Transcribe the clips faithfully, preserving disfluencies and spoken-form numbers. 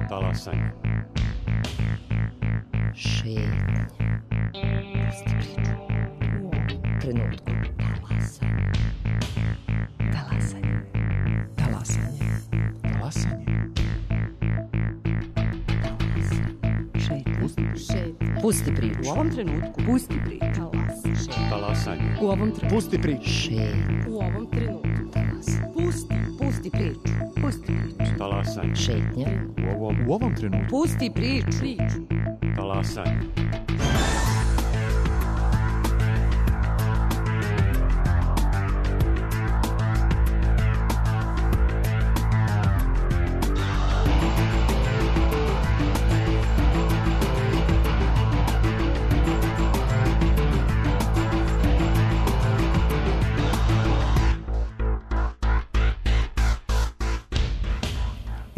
Talasanje. Šetnje. Pusti priču. U ovom trenutku. Talasanje. Talasanje. Talasanje. Talasanje. Šetnje. Pusti priču. U ovom trenutku. Pusti priču. Talasanje. U ovom trenutku. Pusti priču. Šetnje. U ovom trenutku. Pusti. Pusti priču. Pusti priču. Talasanje. Šetnje. U ovom, U ovom trenutku. Pusti priču. Priču. talasanje.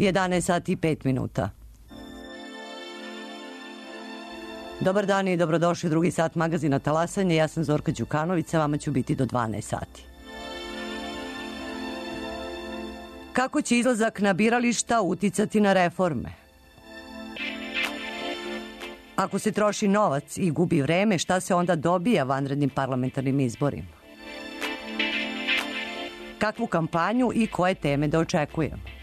jedanaest sati i pet minuta. Dobar dan i dobrodošli u drugi sat magazina Talasanje. Ja sam Zorka Đukanović, sa vama ću biti do dvanaest sati. Kako će izlazak na birališta uticati na reforme? Ako se troši novac i gubi vreme, šta se onda dobija vanrednim parlamentarnim izborima? Kakvu kampanju i koje teme da očekujemo?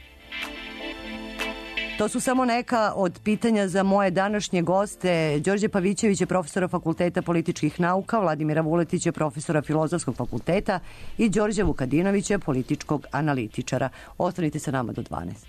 To su samo neka od pitanja za moje današnje goste. Đorđe Pavićević je profesora Fakulteta političkih nauka, Vladimira Vuletić je profesora Filozofskog fakulteta i Đorđe Vukadinović je političkog analitičara. Ostanite sa nama do dvanaest.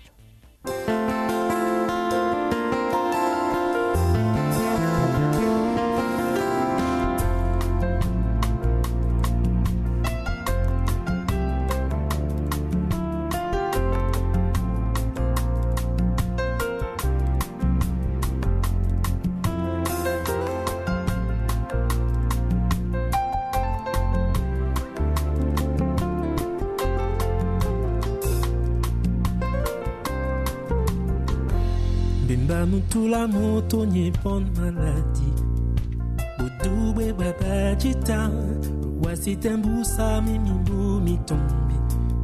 Mutula moto nye pon maladi Budube babajita Wasi tembusa mimimbu mitombi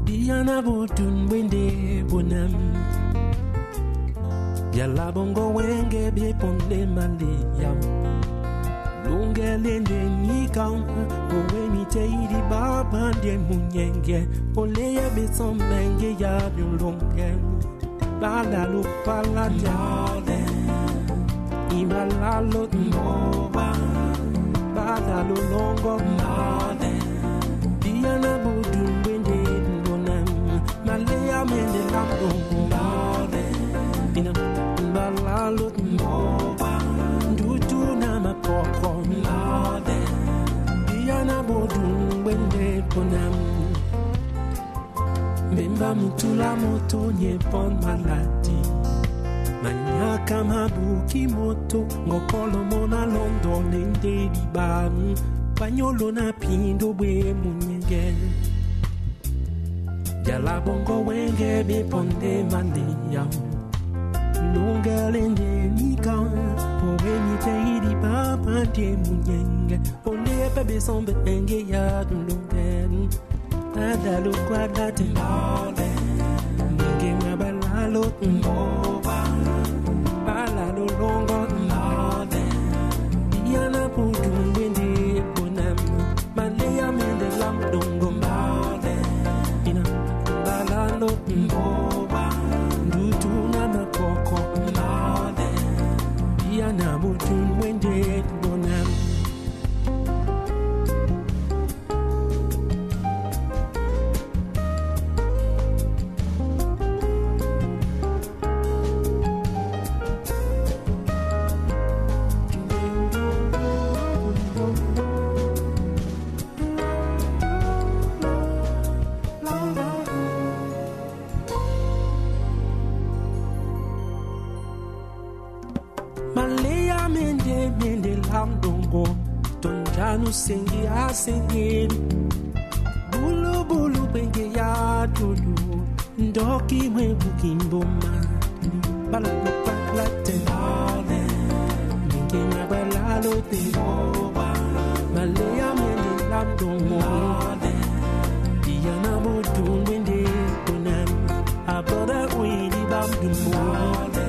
Diana botun wende bonam Yala bongo wenge be ponde male yam Lunge lende nikam Owe mite idi baba de munyenge Ole ya beson menge ya lunge Bala lu pala jale Imala lu moba Bala lu longo male Diana budu wende bonam Malaya mende lambo male Ina bala lu moba Ndutu na mapoko male Diana budu wende bonam Memba mutula moto nye pon maladi Manyaka mabuki moto Ngokolo mona londo nende diban Panyolo na pindo bwe munyenge Yala bongo wenge be ponde mandeya Lunga lende nika Owe nite idi papa de munyenge Ole bebe sombe enge ya dulungen Adalu kwadate mole Nge mabalalo mboba Balalo longo mole Diana putu wende bonam Malaya mende lamdongo mole Ina balalo mboba Ndutu na makoko mole Diana putu wende bonam Sengi asengeri Bulu bulu benge ya dulu Ndoki mwebu kimboma Balalo paklate male Minge nabalalo te moba Malaya mende lamdongo male Diana modun wende konan Aboda uidi bamdu male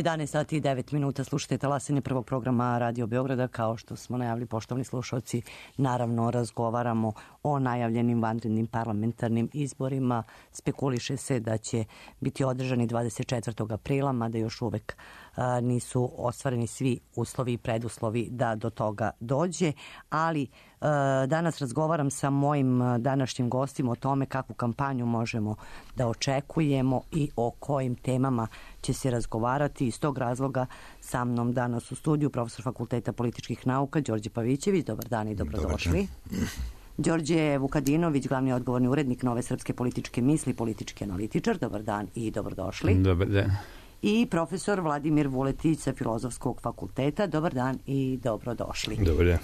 jedanaest sati i devet minuta, slušajte talasanje prvog programa Radio Beograda. Kao što smo najavili, poštovani slušalci, naravno razgovaramo o najavljenim vanrednim parlamentarnim izborima. Spekuliše se da će biti održani dvadeset četvrtog aprila, mada još uvek a, nisu ostvareni svi uslovi i preduslovi da do toga dođe, ali a, danas razgovaram sa mojim današnjim gostima o tome kakvu kampanju možemo da očekujemo i o kojim temama će se razgovarati. Iz tog razloga sa mnom danas u studiju profesor Fakulteta političkih nauka Đorđe Pavićević. Dobar dan i dobrodošli. Đorđe Vukadinović, glavni odgovorni urednik Nove srpske političke misli, politički analitičar. Dobar dan i dobrodošli. Dobar dan. I profesor Vladimir Vuletić sa Filozofskog fakulteta. Dobar dan i dobrodošli. Dobar dan.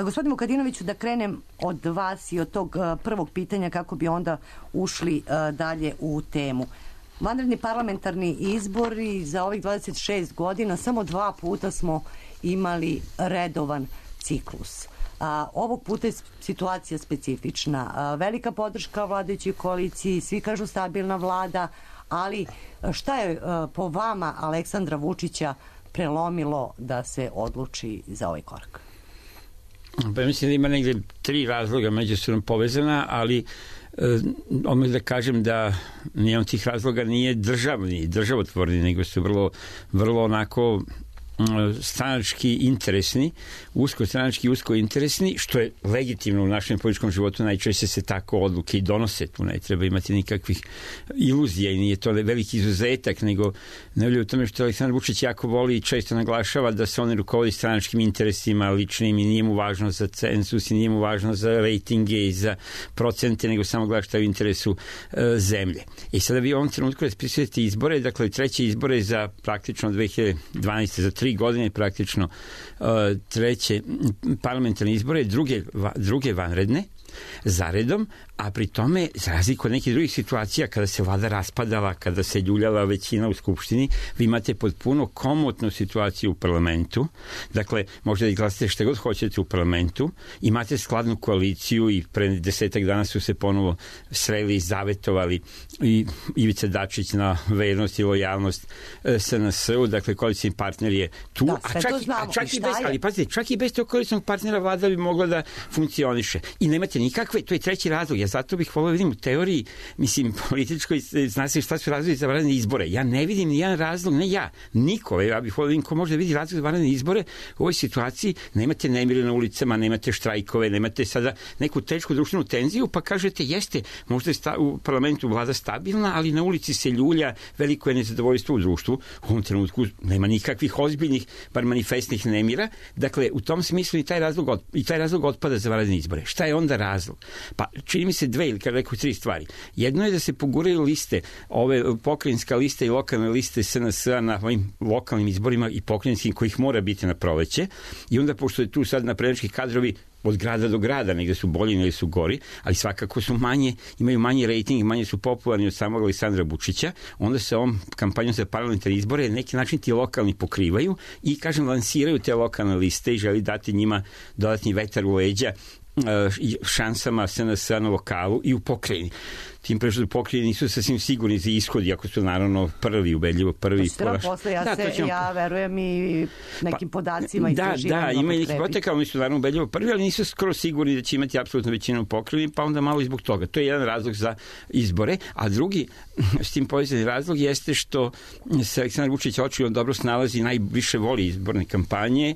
Gospodin Vukadinoviću, da krenem od vas i od tog prvog pitanja kako bi onda ušli dalje u temu. Vanredni parlamentarni izbori za ovih dvadeset šest godina, samo dva puta smo imali redovan ciklus. A, ovog puta je situacija specifična. A, velika podrška vladajućoj koaliciji, svi kažu stabilna vlada, ali šta je a, po vama Aleksandra Vučića prelomilo da se odluči za ovaj korak? Pa mislim da ima negde tri razloga međusobno povezana, ali odmah da kažem da nijedan tih razloga nije državni, državotvorni, nego su vrlo, vrlo onako stranački interesni, usko stranački usko interesni, što je legitimno u našem političkom životu. Najčešće se tako odluke i donose, tu ne treba imati nikakvih iluzija i nije to veliki izuzetak, nego ne u tome što Aleksandar Vučić jako voli i često naglašava da se on rukovodi stranačkim interesima ličnim i nije mu važno za cenzus i nije mu važno za rejtinge i za procente, nego samo gleda šta je u interesu e, zemlje. I sada vi u ovom trenutku raspisujete izbore, dakle treće izbore za praktično dve hiljade dvanaeste za tri godine praktično uh, treće parlamentarne izbore, druge, va, druge vanredne zaredom, a pri tome, za razliku od nekih drugih situacija, kada se vlada raspadala, kada se ljuljala većina u Skupštini, vi imate potpuno komotnu situaciju u parlamentu. Dakle, možete da glasate šta god hoćete u parlamentu, imate skladnu koaliciju i pre desetak dana su se ponovo sreli i zavetovali i Ivica Dačić na vernost i lojalnost S N S-u, dakle, koalicijni partner je tu, da, a čak, a čak i bez, ali pazite, čak i bez tog koalicijnog partnera vlada bi mogla da funkcioniše. I nemate nikakve, to je treći razlog. Ja zato bih volio vidim u teoriji, mislim, političkoj, zna se šta su razlozi za vanredne izbore. Ja ne vidim ni jedan razlog, ne ja, niko. Ja bih volio vidim ko može da vidi razlog za vanredne izbore u ovoj situaciji. Nemate nemire na ulicama, nemate štrajkove, nemate sada neku tešku društvenu tenziju, pa kažete, jeste, možda je sta, u parlamentu vlada stabilna, ali na ulici se ljulja, veliko je nezadovoljstvo u društvu. U ovom trenutku nema nikakvih ozbiljnih, bar manifestnih nemira. Dakle, u tom smislu i taj razlog, od, i taj razlog otpada za vanredne izbore. Šta je onda razlog? Pa čini mi se dve ili kada rekao tri stvari. Jedno je da se poguraju liste, ove pokrajinska lista i lokalne liste S N S-a na ovim lokalnim izborima i pokrajinskim kojih mora biti na proleće. I onda, pošto je tu sad naprednjački kadrovi od grada do grada, negde su bolji, negde su gori, ali svakako su manje, imaju manji rejting, manje su popularni od samog Aleksandra Vučića, onda se ovom kampanjom za parlamentarne izbore neki način ti lokalni pokrivaju i, kažem, lansiraju te lokalne liste i želi dati njima dodatni vetar u leđa šansama S N S-a na lokalu i u pokrajini. Tim pre što u pokrajini nisu sasvim sigurni za ishod, iako su naravno prvi, ubedljivo prvi. To će nam posle, ja, da, se, ćemo... ja verujem i nekim pa, podacima da, da, ima i neki potekal, oni su naravno ubedljivo prvi, ali nisu skoro sigurni da će imati apsolutno većinu u pokrajini, pa onda malo i zbog toga. To je jedan razlog za izbore, a drugi s tim povezani razlog jeste što se Aleksandar Vučić očigledno dobro snalazi, najviše voli izborne kampanje,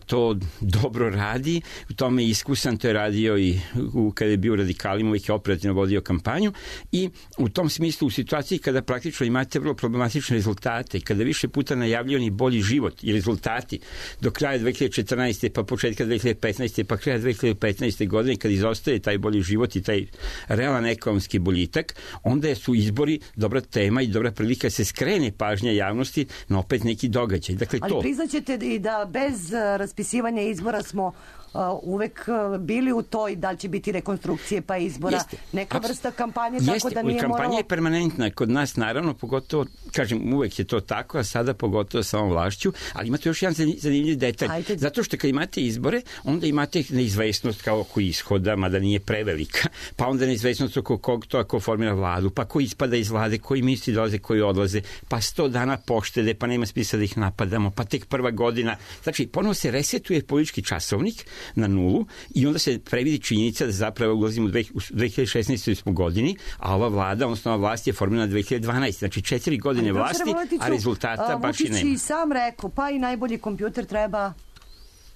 to dobro radi, u tome je iskusan, to je je radio i u, kada je bio u Radikalima, uvijek je operativno vodio kampanju i u tom smislu u situaciji kada praktično imate vrlo problematične rezultate, kada više puta najavljivani bolji život i rezultati do kraja dve hiljade četrnaeste. pa početka dve hiljade petnaeste. pa kraja dve hiljade petnaeste. godine, kad izostaje taj bolji život i taj realan ekonomski boljitak, onda su izbori dobra tema i dobra prilika se skrene pažnja javnosti na opet neki događaj. Dakle, ali to... priznaćete i da bez raspisivanja izbora smo Uh, uvek uh, bili u toj da li će biti rekonstrukcije pa izbora, Jeste. neka Abs... vrsta kampanje, Jeste. tako da nije kampanja moralo... je permanentna kod nas, naravno, pogotovo, kažem, uvek je to tako, a sada pogotovo sa ovom vlašću, ali imate još jedan zanimljiv detalj. Ajde. Zato što kad imate izbore, onda imate neizvesnost kao oko ishoda, mada nije prevelika, pa onda neizvesnost oko kog to ako formira vladu, pa ko ispada iz vlade, koji ministri dolaze, koji odlaze, pa sto dana poštede, pa nema smisla da ih napadamo, pa tek prva godina. Znači, ponovo se resetuje politički časovnik na nulu i onda se previdi činjenica da zapravo ulazimo u dve hiljade šesnaestoj godini, a ova vlada, odnosno ova vlast je formirana dve hiljade dvanaeste. Znači četiri godine ali, vlasti, a rezultata a, baš i nema. Vučić i sam rekao, pa i najbolji kompjuter treba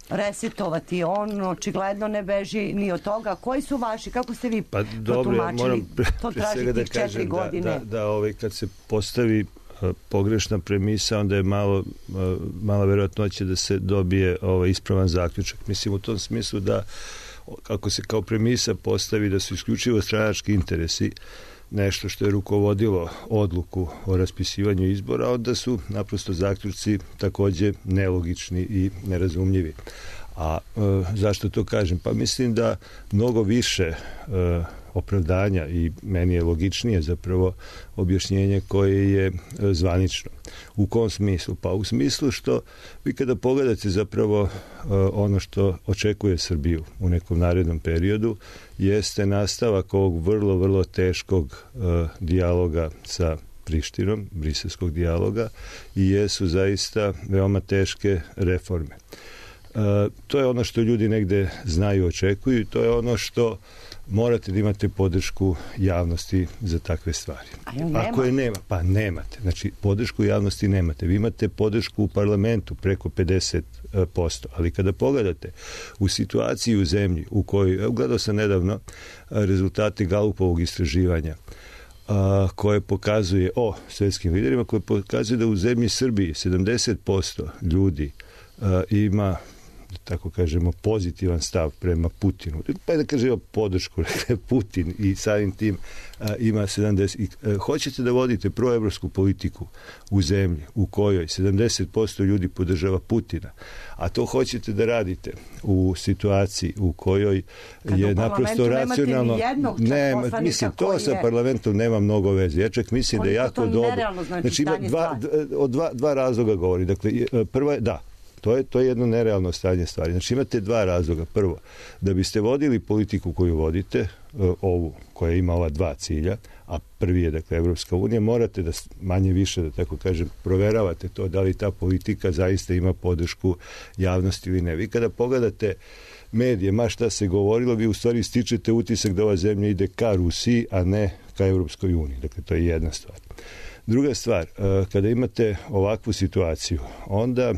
resetovati. On očigledno ne beži ni od toga. Koji su vaši? Kako ste vi pa, dobro, potumačili? Ja moram pre, to pre traži da tih četiri godine. Da, da, da ovaj, kad se postavi pogrešna premisa, onda je malo mala verovatnoća da se dobije ovaj ispravan zaključak. Mislim u tom smislu da kako se kao premisa postavi da su isključivo stranački interesi nešto što je rukovodilo odluku o raspisivanju izbora, onda su naprosto zaključci takođe nelogični i nerazumljivi. A e, zašto to kažem? Pa mislim da mnogo više e, opravdanja i meni je logičnije zapravo objašnjenje koje je zvanično. U kom smislu? Pa u smislu što vi kada pogledate zapravo uh, ono što očekuje Srbiju u nekom narednom periodu jeste nastavak ovog vrlo, vrlo teškog uh, dijaloga sa Prištinom, briselskog dijaloga i jesu zaista veoma teške reforme. Uh, to je ono što ljudi negde znaju, očekuju i to je ono što morate da imate podršku javnosti za takve stvari. Ako je nema, pa nemate. Znači, podršku javnosti nemate. Vi imate podršku u parlamentu preko pedeset posto. Ali kada pogledate u situaciji u zemlji u kojoj, gledao sam nedavno rezultate Galupovog istraživanja a, koje pokazuje o svetskim liderima, koje pokazuje da u zemlji Srbiji sedamdeset posto ljudi a, ima tako kažemo, pozitivan stav prema Putinu. Pa da kažemo podršku, Putin i samim tim a, ima sedamdeset. I, a, hoćete da vodite proevropsku politiku u zemlji u kojoj sedamdeset posto ljudi podržava Putina, a to hoćete da radite u situaciji u kojoj kad je naprosto racionalno... Ne, mislim, to je... sa parlamentom nema mnogo veze. Ja čak mislim Koliko da je jako dobro... Znači, znači ima dva, od dva, dva razloga govori. Dakle, prva je, da, To je, to je jedno nerealno stanje stvari. Znači imate dva razloga. Prvo, da biste vodili politiku koju vodite, ovu koja ima ova dva cilja, a prvi je, dakle, Evropska unija, morate da manje više, da tako kažem, proveravate to da li ta politika zaista ima podršku javnosti ili ne. Vi kada pogledate medije, ma šta se govorilo, vi u stvari stičete utisak da ova zemlja ide ka Rusiji, a ne ka Evropskoj uniji. Dakle, to je jedna stvar. Druga stvar, kada imate ovakvu situaciju, onda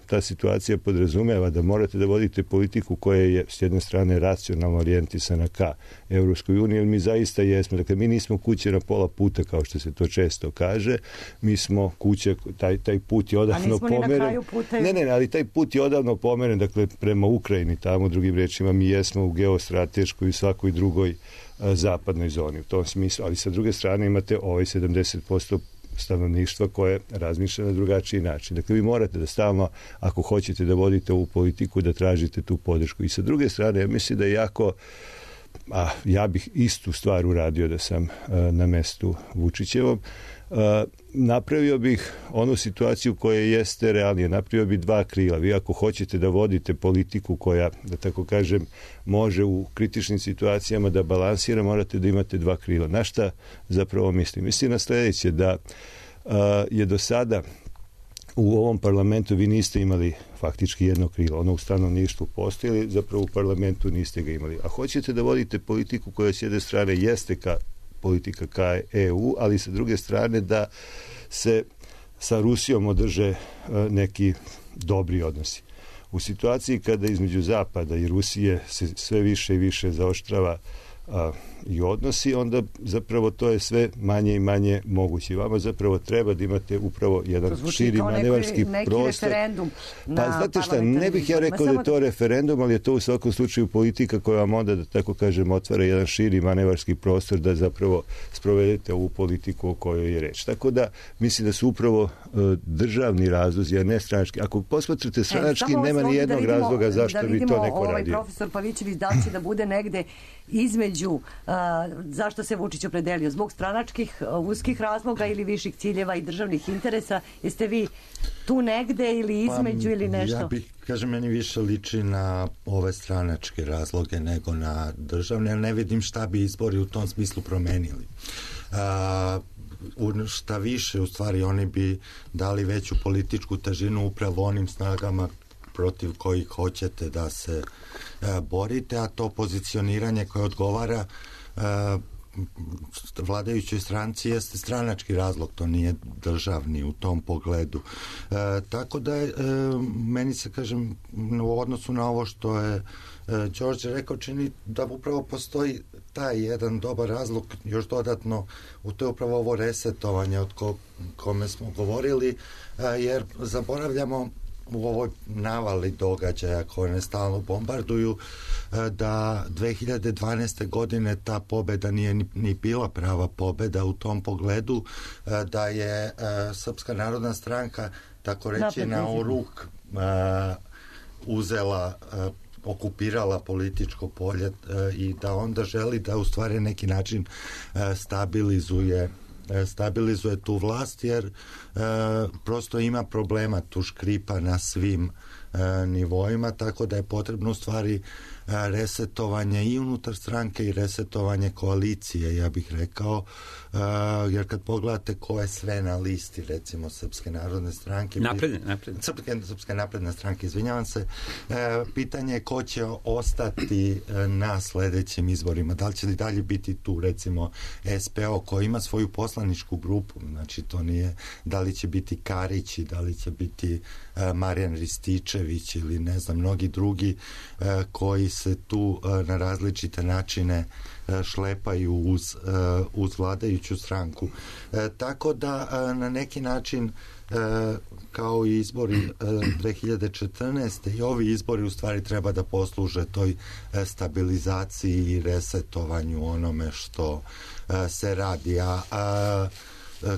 ta situacija podrazumeva da morate da vodite politiku koja je s jedne strane racionalno orijentisana ka Evropskoj uniji, jer mi zaista jesmo. Dakle, mi nismo kuće na pola puta, kao što se to često kaže. Mi smo kuće, taj, taj put je odavno pomeren. Ne, ne, ali taj put je odavno pomeren, dakle, prema Ukrajini, tamo, drugim rečima, mi jesmo u geostrateškoj i svakoj drugoj zapadnoj zoni u tom smislu, ali sa druge strane imate ovaj sedamdeset posto stanovništva koje razmišlja na drugačiji način. Dakle, vi morate da stalno, ako hoćete da vodite ovu politiku, da tražite tu podršku. I sa druge strane, ja mislim da je jako, a ja bih istu stvar uradio da sam a, na mestu Vučićevom, a, napravio bih onu situaciju koja jeste realnije. Napravio bih dva krila. Vi ako hoćete da vodite politiku koja, da tako kažem, može u kritičnim situacijama da balansira, morate da imate dva krila. Na šta zapravo mislim? Mislim na sledeće, da a, je do sada u ovom parlamentu vi niste imali faktički jedno krilo. Ono u stanovništvu postoji, zapravo u parlamentu niste ga imali. A hoćete da vodite politiku koja s jedne strane jeste ka politika ka E U, ali sa druge strane da se sa Rusijom održe neki dobri odnosi. U situaciji kada između Zapada i Rusije se sve više i više zaoštrava a, i odnosi, onda zapravo to je sve manje i manje moguće. Vama zapravo treba da imate upravo jedan širi manevarski neki prostor. Referendum pa znate šta, ne bih ja rekao da je to referendum, ali je to u svakom slučaju politika koja vam onda, da tako kažem, otvara jedan širi manevarski prostor da zapravo sprovedete ovu politiku o kojoj je reč. Tako da mislim da su upravo uh, državni razlozi, a ne stranački. Ako posmatrate stranački, e, nema ni jednog da vidimo, razloga zašto da bi to neko ovaj radio. Profesor Pavićević da će da bude negde između uh, zašto se Vučić opredelio, zbog stranačkih uh, uskih razloga ili viših ciljeva i državnih interesa. Jeste vi tu negde ili između pa, ili nešto? Ja bih, kažem, meni više liči na ove stranačke razloge nego na državne, ali ne vidim šta bi izbori u tom smislu promenili. Uh, šta više, u stvari, oni bi dali veću političku težinu upravo onim snagama protiv kojih hoćete da se e, borite, a to pozicioniranje koje odgovara e, vladajućoj stranci jeste stranački razlog, to nije državni u tom pogledu. E, tako da je, e, meni se, kažem, u odnosu na ovo što je e, Đorđe rekao, čini da upravo postoji taj jedan dobar razlog, još dodatno u to je upravo ovo resetovanje od ko, kome smo govorili, e, jer zaboravljamo u ovoj navali događaja koje ne stalno bombarduju, da dve hiljade dvanaeste. godine ta pobeda nije ni, ni bila prava pobeda u tom pogledu, da je Srpska narodna stranka, tako reći, na oruk uzela, okupirala političko polje i da onda želi da u stvari neki način stabilizuje stabilizuje tu vlast, jer e, prosto ima problema, tu škripa na svim e, nivoima, tako da je potrebno u stvari e, resetovanje i unutar stranke i resetovanje koalicije, ja bih rekao, e, jer kad pogledate ko je sve na listi, recimo Srpske narodne stranke, napredne, napredne. Srpske, Srpske napredne stranke, izvinjavam se, e, pitanje je ko će ostati e, na sledećim izborima, da li će li dalje biti tu, recimo S P O koji ima svoju poslaničku grupu, znači to nije da li će biti Karić i da li će biti e, Marijan Rističević ili ne znam, mnogi drugi e, koji se tu e, na različite načine e, šlepaju uz, e, uz vladajuću stranku. E, tako da e, na neki način e, kao i izbori e, dve hiljade četrnaeste. i ovi izbori u stvari treba da posluže toj e, stabilizaciji i resetovanju onome što e, se radi. A, a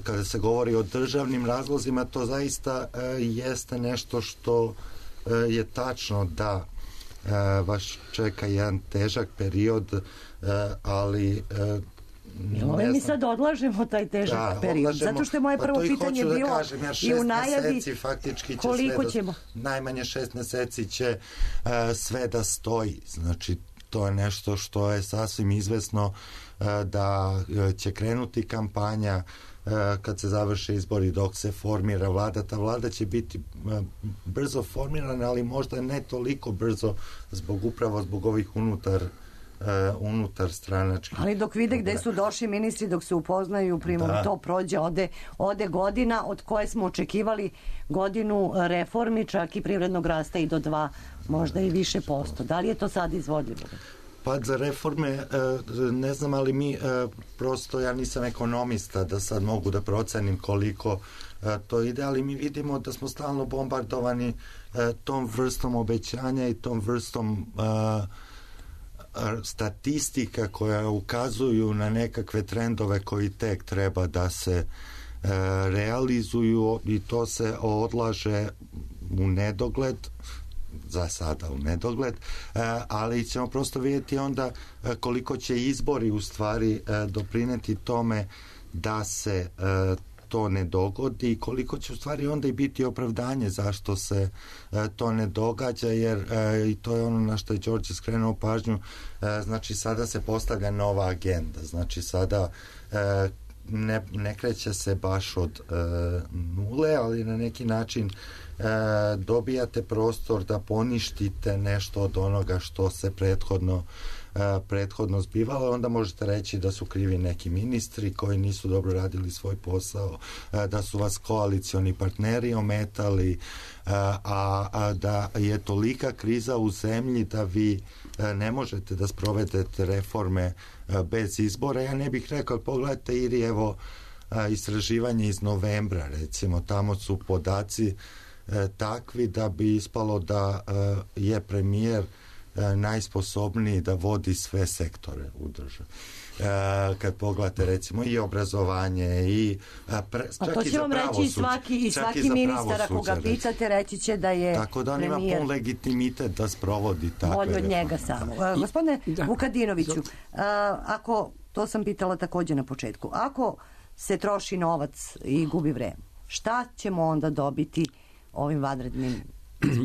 kada se govori o državnim razlozima, to zaista e, jeste nešto što e, je tačno da e, vaš čeka jedan težak period, e, ali e, Ove mi sad odlažemo taj težak da, period, odlažemo, zato što je moje prvo pitanje bilo da kažem, ja, i u najavi meseci, faktički će koliko sve ćemo. Da, najmanje šest meseci će uh, sve da stoji, znači to je nešto što je sasvim izvesno uh, da uh, će krenuti kampanja uh, kad se završe izbori, dok se formira vlada. Ta vlada će biti uh, brzo formirana, ali možda ne toliko brzo zbog upravo zbog ovih unutar Uh, unutar stranački. Ali dok vide gde su došli ministri, dok se upoznaju, primom da. To prođe, ode, ode godina od koje smo očekivali godinu reformi, čak i privrednog rasta i do dva, možda i više posto. Da li je to sad izvodljivo? Pa za reforme ne znam, ali mi prosto, ja nisam ekonomista da sad mogu da procenim koliko to ide, ali mi vidimo da smo stalno bombardovani tom vrstom obećanja i tom vrstom statistika koja ukazuju na nekakve trendove koji tek treba da se e, realizuju i to se odlaže u nedogled, za sada u nedogled, e, ali ćemo prosto vidjeti onda koliko će izbori u stvari e, doprineti tome da se e, to ne dogodi i koliko će u stvari onda i biti opravdanje zašto se e, to ne događa, jer e, i to je ono na što je Đorđe skrenuo pažnju, e, znači sada se postavlja nova agenda, znači sada e, ne, ne kreće se baš od e, nule, ali na neki način e, dobijate prostor da poništite nešto od onoga što se prethodno prethodno zbivalo, onda možete reći da su krivi neki ministri koji nisu dobro radili svoj posao, da su vas koalicioni partneri ometali, a, a da je tolika kriza u zemlji da vi ne možete da sprovedete reforme bez izbora. Ja ne bih rekao, pogledajte Iri, evo istraživanje iz novembra, recimo, tamo su podaci takvi da bi ispalo da je premijer najsposobniji da vodi sve sektore u državi. Kad pogledate recimo i obrazovanje i pre, a to će vam reći i svaki, i svaki ministar ako ga pitate reći će da je tako da on premijer ima pun legitimitet da sprovodi takve bolje od njega reforme. samo. Gospodine da. Vukadinoviću, ako, to sam pitala također na početku, ako se troši novac i gubi vreme, šta ćemo onda dobiti ovim vanrednim?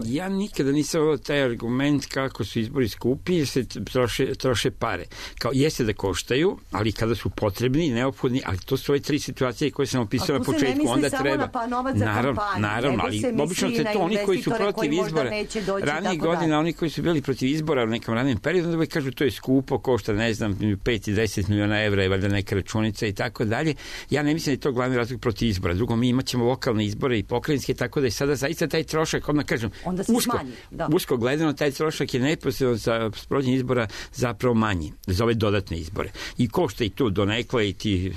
Ja nikada nisam volio taj argument kako su izbori skupi jer se troše, troše pare. Kao jeste da koštaju, ali kada su potrebni, neophodni, ali to su ove tri situacije koje sam opisao na početku, onda treba. Pa novac za naravno, kampanju, naravno, ali obično se to oni koji su protiv izbora, ranijih godina oni koji su bili protiv izbora u nekom ranim periodu, onda kažu to je skupo, košta ne znam pet i deset miliona evra je valjda neka računica i tako dalje. Ja ne mislim da je to glavni razlog protiv izbora. Drugo, mi imaćemo lokalne izbore i pokrajinske, tako da je sada zaista taj trošak, odmah kažem, onda se usko, smanji. Da. Usko gledano, taj trošak je neposredno za sprovođenje izbora zapravo manji, za ove dodatne izbore. I košta i tu donekle i ti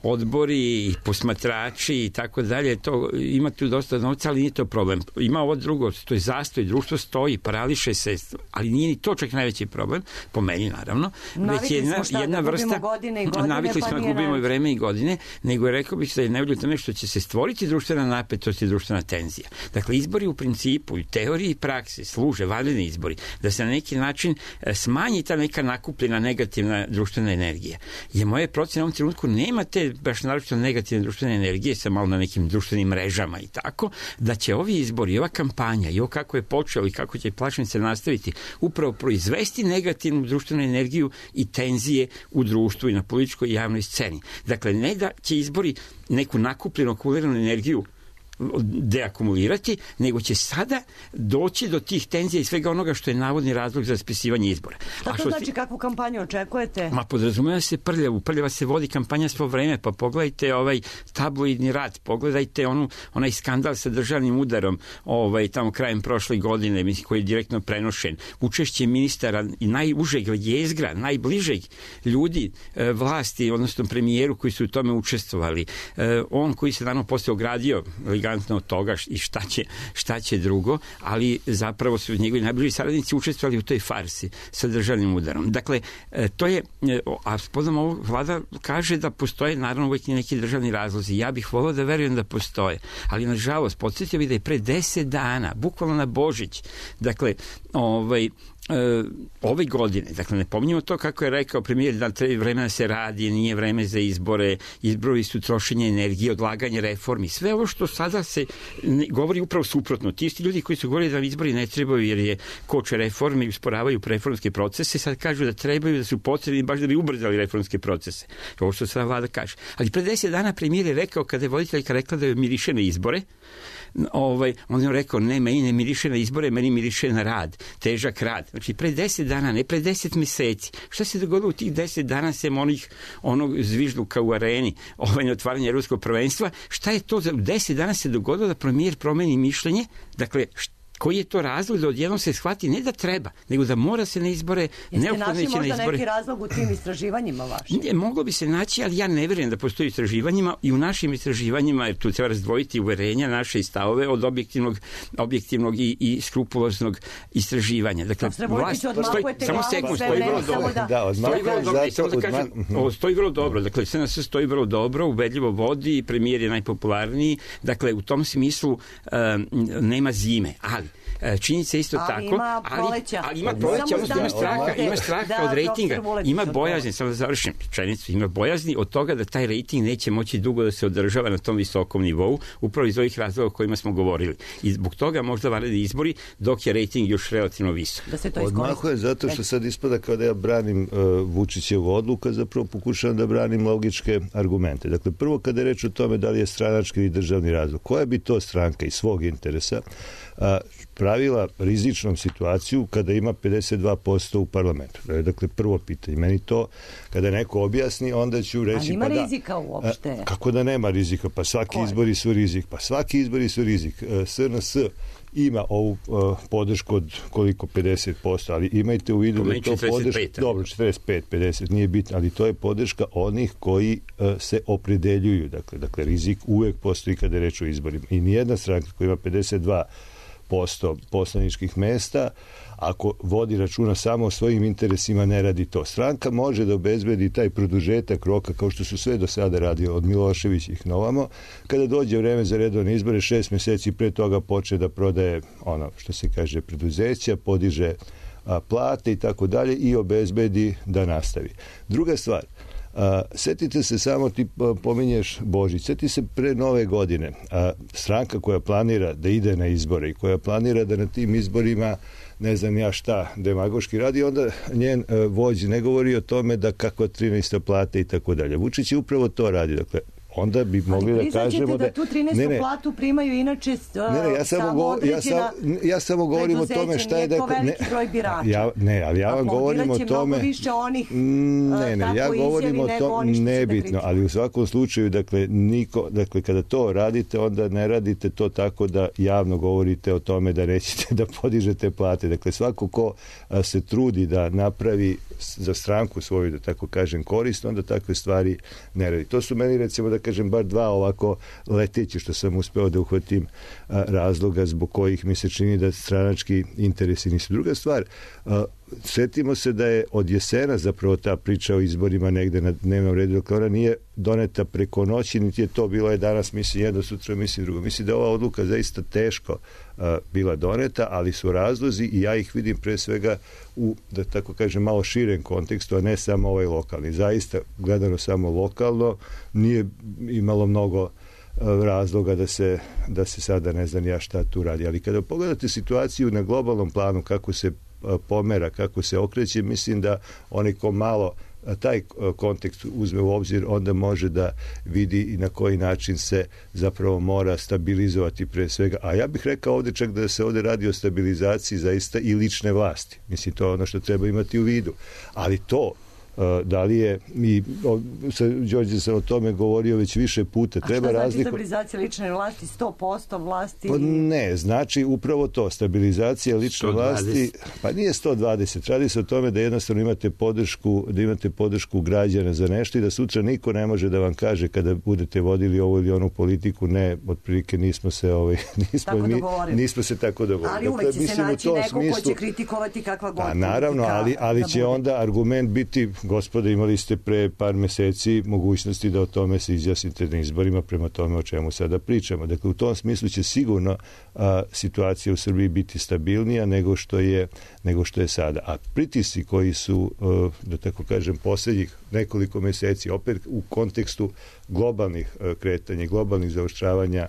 odbori i posmatrači i tako dalje, to ima tu dosta novca, ali nije to problem. Ima ovo drugo, to je zastoj, društvo stoji, parališe se, ali nije ni to čak najveći problem, po meni naravno. Navikli već jedna, smo šta, jedna da vrsta, godine i godine, navikli pa smo da nije gubimo i na... vreme i godine, nego je rekao bih da je najbolje tome što će se stvoriti društvena napetost i društvena tenzija. Dakle, izbori u principu, i teoriji i praksi služe, vanredni izbori, da se na neki način smanji ta neka nakupljena negativna društvena energija. Je moje procene u ovom trenutku nema te baš naročito negativne društvene energije sa malo na nekim društvenim mrežama i tako, da će ovi izbori, ova kampanja i ovo kako je počeo i kako će plašnice nastaviti, upravo proizvesti negativnu društvenu energiju i tenzije u društvu i na političkoj i javnoj sceni. Dakle, ne da će izbori neku nakupljenu, akumuliranu energiju deakumulirati, nego će sada doći do tih tenzija i svega onoga što je navodni razlog za raspisivanje izbora. Šta to znači, si... kakvu kampanju očekujete? Ma podrazumeva se prljavu, prljava se vodi kampanja svo vreme, pa pogledajte ovaj tabloidni rat, pogledajte onu, onaj skandal sa državnim udarom ovaj, tamo krajem prošle godine, mislim, koji je direktno prenošen. Učešće ministara i najužeg jezgra, najbližeg ljudi e, vlasti, odnosno premijeru koji su u tome učestvovali. E, on koji se dano posle ogradio elegantno od toga i šta će, šta će drugo, ali zapravo su njegovi najbliži saradnici učestvovali u toj farsi sa državnim udarom. Dakle, to je, a spodom ovo vlada kaže da postoje naravno uvijek neki državni razlozi. Ja bih volio da verujem da postoje, ali nažalost, podsjetio bih da je pre deset dana, bukvalno na Božić, dakle, ovaj, Uh, ove godine, dakle ne pominjamo to kako je rekao premijer da treba vremena se radi, nije vreme za izbore, izbori su trošenje energije, odlaganje reformi, sve ovo što sada se ne, govori upravo suprotno. Ti isti ljudi koji su govorili da izbori ne trebaju jer je koče reforme i usporavaju reformske procese, sad kažu da trebaju, da su potrebni baš da bi ubrzali reformske procese. Ovo što sada vlada kaže. Ali pre deset dana premijer je rekao, kada je voditeljka rekla da je miriše na izbore, ovaj, on je rekao, ne, meni ne miriše na izbore, meni miriše na rad, težak rad. Znači, pre deset dana, ne pre deset meseci. Šta se dogodilo u tih deset dana sem onih, onog zvižduka u areni, ovaj, otvaranje ruskog prvenstva? Šta je to? Za deset dana se dogodilo da premijer promeni mišljenje? Dakle, šta? Koji je to razlog da odjednom se shvati ne da treba, nego da mora se na izbore, neophodno ići na izbore. Jeste našli možda neki razlog u tim istraživanjima vašim? Ne, moglo bi se naći, ali ja ne vjerujem da postoji istraživanjima i u našim istraživanjima, jer tu treba razdvojiti uverenja naše i stavove od objektivnog, objektivnog i, i skrupuloznog istraživanja. Dakle, vlast, stoji, samo sekund, stoji vrlo dobro. Da, da, stoji vrlo dobro, samo da kažem, ovo stoji vrlo dobro. Dakle, S N S stoji vrlo dobro, ubedljivo vodi, premijer je najpopularniji. Dakle, u tom smislu um, nema zime, ali činjenica isto ali tako, ima ali, ali ima proleća, odnosno ima straha, ima straha da, od rejtinga, ima bojazni, samo da završim činjenicu, ima bojazni od toga da taj rejting neće moći dugo da se održava na tom visokom nivou, upravo iz ovih razloga o kojima smo govorili. I zbog toga možda vanredni izbori, dok je rejting još relativno visok. Da Odmahuje zato što sad ispada kao da ja branim uh, Vučićevu odluku, a zapravo pokušavam da branim logičke argumente. Dakle, prvo kada je reč o tome da li je stranački ili državni razlog, koja bi to stranka iz svog interesa a, pravila rizičnom situaciju kada ima pedeset dva posto u parlamentu. Dakle, prvo pitanje. Meni to, kada neko objasni, onda ću reći... Ali ima pa da, rizika uopšte? A, kako da nema rizika? Pa svaki Koje? izbori su rizik. Pa svaki izbori su rizik. S N S ima ovu uh, podršku od koliko pedeset posto, ali imajte u vidu da je to podrška... Dobro, četrdeset pet pedeset, nije bitno, ali to je podrška onih koji uh, se opredeljuju. Dakle, dakle, rizik uvek postoji kada je reč o izborima. I nijedna stranka koja ima pedeset dva posto poslaničkih mesta, ako vodi računa samo o svojim interesima, ne radi to. Stranka može da obezbedi taj produžetak roka, kao što su sve do sada radili od Miloševićih na ovamo, kada dođe vreme za redovne izbore, šest meseci pre toga počne da prodaje ono što se kaže preduzeća, podiže a, plate i tako dalje i obezbedi da nastavi. Druga stvar, a, setite se samo, ti pominješ Božić, seti se pre nove godine, a, stranka koja planira da ide na izbore i koja planira da na tim izborima ne znam ja šta demagoški radi, onda njen e, vođ ne govori o tome da kakva trinaesta plata i tako dalje. Vučić je upravo to radi. Dakle, onda bi mogli da kažemo da... da tu trinaestu ne, ne, platu primaju inače uh, ne, ne, ja samo, samo go, određena ja sam, ja samo govorim o tome šta je da... to veliki ne, broj birača. Ja, ne, ali ja vam govorim o tome... mnogo više onih ne, ne, ja govorim o tome nebitno, ali u svakom slučaju, dakle, niko, dakle, kada to radite, onda ne radite to tako da javno govorite o tome da nećete da podižete plate. Dakle, svako ko a, se trudi da napravi za stranku svoju, da tako kažem, korist, onda takve stvari ne radi. To su meni, recimo, da kažem, bar dva ovako leteći što sam uspeo da uhvatim a, razloga zbog kojih mi se čini da stranački interesi nisu. Druga stvar, a, setimo se da je od jesena zapravo ta priča o izborima negde na dnevnom redu, dakle ona nije doneta preko noći, niti je to bilo je danas mislim jedno, sutra mislim drugo. Mislim da je ova odluka zaista teško a, bila doneta, ali su razlozi i ja ih vidim pre svega u, da tako kažem, malo širem kontekstu, a ne samo ovaj lokalni. Zaista, gledano samo lokalno, nije imalo mnogo razloga da se, da se sada ne znam ja šta tu radi. Ali kada pogledate situaciju na globalnom planu, kako se pomera, kako se okreće, mislim da onaj ko malo taj kontekst uzme u obzir, onda može da vidi i na koji način se zapravo mora stabilizovati pre svega. A ja bih rekao ovde čak da se ovde radi o stabilizaciji zaista i lične vlasti. Mislim, to je ono što treba imati u vidu. Ali to da li je, i sa Đorđe sam o tome govorio već više puta, treba razlikovati. A šta znači stabilizacija lične vlasti? sto posto vlasti? Pa ne, znači upravo to, stabilizacija lične sto dvadeset vlasti, pa nije sto dvadeset, radi se o tome da jednostavno imate podršku, da imate podršku građana za nešto i da sutra niko ne može da vam kaže kada budete vodili ovu ili onu politiku, ne, otprilike nismo se ovaj, nismo, mi, nismo se tako dogovorili. Ali uvek će se naći neko smislu, ko će kritikovati kakva god politika. Naravno, ali, ali će onda argument biti, gospode, imali ste pre par meseci mogućnosti da o tome se izjasnite na izborima, prema tome o čemu sada pričamo. Dakle, u tom smislu će sigurno a, situacija u Srbiji biti stabilnija nego što je, nego što je sada. A pritisci koji su, a, da tako kažem, poslednjih nekoliko meseci, opet u kontekstu globalnih a, kretanja, globalnih zaoštravanja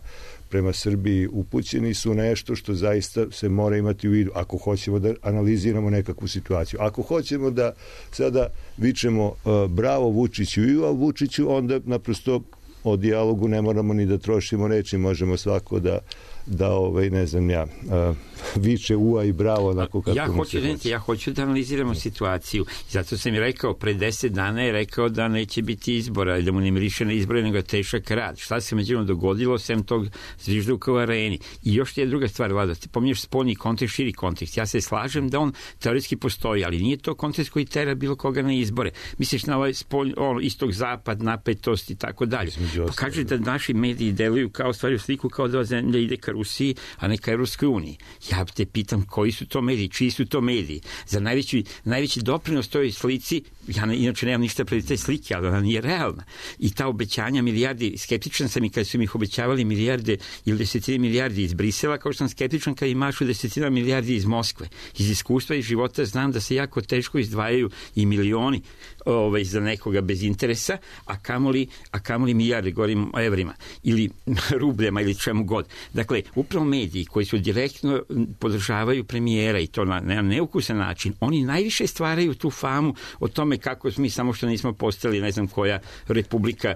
prema Srbiji upućeni su nešto što zaista se mora imati u vidu ako hoćemo da analiziramo nekakvu situaciju. Ako hoćemo da sada vičemo uh, bravo Vučiću i u Vučiću, onda naprosto o dijalogu ne moramo ni da trošimo reči, možemo svako da da ovaj ne znam ja uh, viče ua i bravo onako kako ja hoću da ja hoću da analiziramo situaciju. Zato sam i rekao pre deset dana je rekao da neće biti izbora, da mu ne miriše na izbore nego tešak rad. Šta se međutim dogodilo sem tog zvižduka u areni? I još je druga stvar, Vlada, ti pominješ spoljni kontekst, širi kontekst. Ja se slažem da on teoretski postoji, ali nije to kontekst koji tera bilo koga na izbore. Misliš na ovaj spoljni, on, istog zapad, napetost i tako dalje. Pa kaže da naši mediji deluju kao stvari u sliku kao da zemlja ide ka Rusiji, a ne ka Evropskoj uniji. Ja te pitam koji su to mediji, čiji su to mediji. Za najveći, najveći doprinos toj slici, ja ne, inače nemam ništa pred te slike, ali ona nije realna. I ta obećanja milijardi, skeptičan sam i kada su mi ih obećavali milijarde ili desetine milijardi iz Brisela, kao što sam skeptičan kada imašu desetina milijardi iz Moskve. Iz iskustva i života znam da se jako teško izdvajaju i milioni ovaj, za nekoga bez interesa, a kamoli, a kamoli milijarde, govorim o evrima, ili rubljama, ili čemu god. Dakle, upravo mediji koji su direktno podržavaju premijera i to na, na neukusan način, oni najviše stvaraju tu famu o tome kako mi samo što nismo postali ne znam koja republika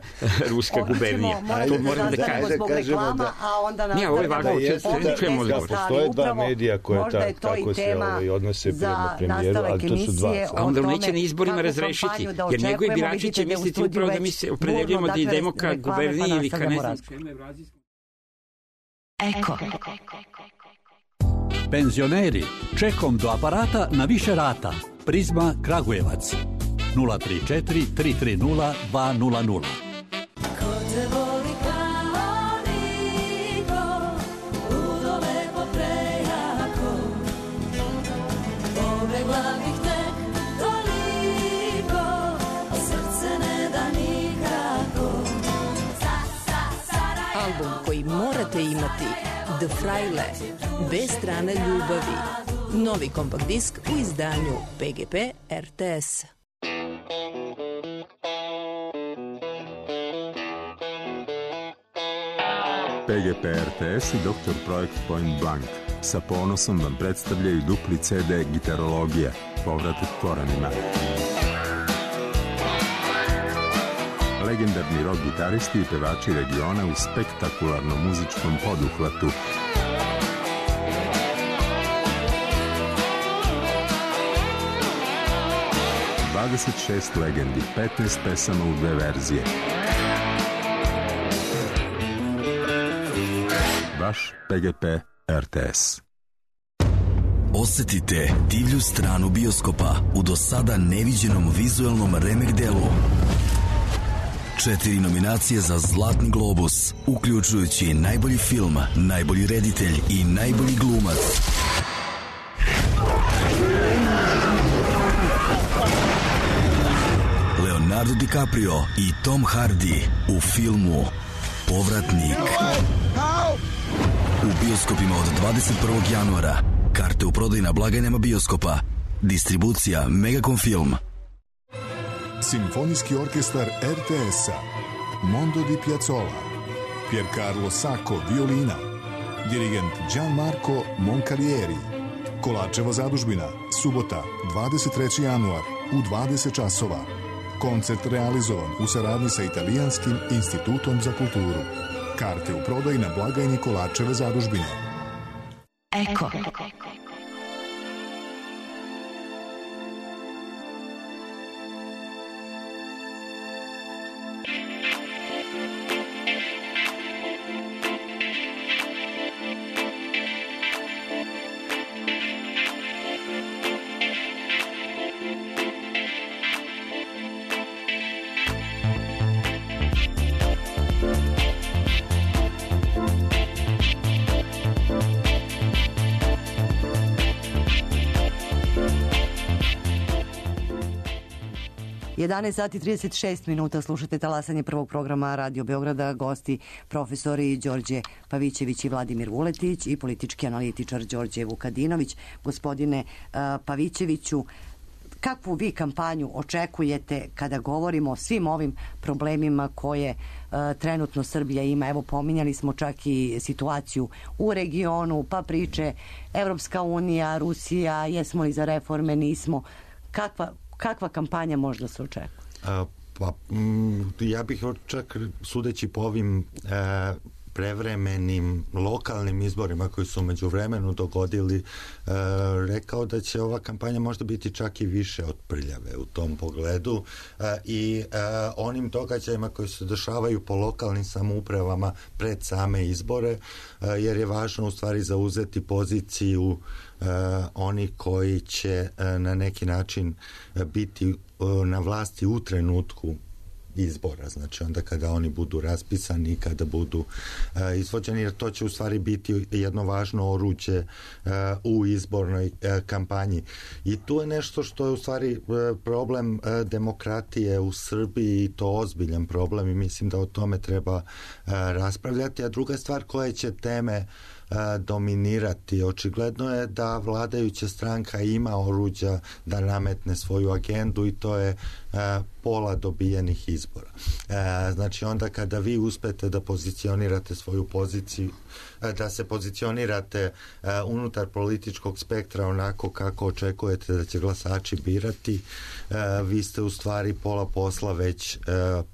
ruska gubernija. To moram da kažem. Zbog reklama, a onda na ja, ovo je važno, da postoje dva medija koja ta, tako se ovaj, odnose prema premijeru, ali to su dva. A onda neće na izborima razrešiti, jer njegovi birači će misliti upravo da mi se opredeljujemo da idemo ka guberniji ili ka ne znam. Eko. Penzioneri, čekom do aparata na više rata. Prizma Kragujevac. nula tri četiri tri tri nula dva nula nula. Album koji morate imati, The Fraile, Dve strane ljubavi. Novi kompakt disk u izdanju P G P R T S. P G P R T S i doktor Projekt Point Blank sa ponosom vam predstavljaju dupli C D Gitarologija, povratak korenima. Legendarni rock gitaristi i pevači regiona u spektakularnom muzičkom poduhvatu. dvadeset šest legendi, petnaest pesama u dve verzije. Vaš P G P R T S. Osetite divlju stranu bioskopa u do sada neviđenom vizuelnom remek delu. Četiri nominacije za Zlatni globus, uključujući najbolji film, najbolji reditelj i najbolji glumac. Leonardo DiCaprio i Tom Hardy u filmu Povratnik. U bioskopima od dvadeset prvog januara. Karte u prodaju na blagajnama bioskopa. Distribucija Megacom Film. Simfonijski orkestar R T S-a, Mondo di Piazzolla, Piercarlo Sacco, violina, dirigent Gianmarco Moncalieri. Kolačeva zadužbina, subota, dvadeset treći januar, u dvadeset časova. Koncert realizovan u saradnji sa Italijanskim institutom za kulturu. Karte u prodaju na blagajni Kolačeve zadužbine. Eko. jedanaest sati trideset šest minuta, slušate talasanje prvog programa Radio Beograda, gosti profesori Đorđe Pavićević i Vladimir Vuletić i politički analitičar Đorđe Vukadinović. Gospodine uh, Pavićeviću, kakvu vi kampanju očekujete kada govorimo o svim ovim problemima koje uh, trenutno Srbija ima? Evo, pominjali smo čak i situaciju u regionu, pa priče Evropska unija, Rusija, jesmo li za reforme, nismo. Kakva Kakva kampanja možda se očekuje? A, pa, m, ja bih čak, sudeći po ovim e, prevremenim lokalnim izborima koji su među vremenu dogodili, e, rekao da će ova kampanja možda biti čak i više od prljave u tom pogledu e, i e, onim događajima koji se dešavaju po lokalnim samoupravama pred same izbore, e, jer je važno u stvari zauzeti poziciju Uh, oni koji će uh, na neki način uh, biti uh, na vlasti u trenutku izbora, znači onda kada oni budu raspisani i kada budu uh, izvođeni, jer to će u stvari biti jedno važno oruđe uh, u izbornoj uh, kampanji. I tu je nešto što je u stvari uh, problem uh, demokratije u Srbiji i to ozbiljan problem i mislim da o tome treba uh, raspravljati. A druga stvar, koje će teme dominirati. Očigledno je da vladajuća stranka ima oruđa da nametne svoju agendu i to je pola dobijenih izbora. E, znači onda kada vi uspete da pozicionirate svoju poziciju, da se pozicionirate e, unutar političkog spektra onako kako očekujete da će glasači birati, e, vi ste u stvari pola posla već e,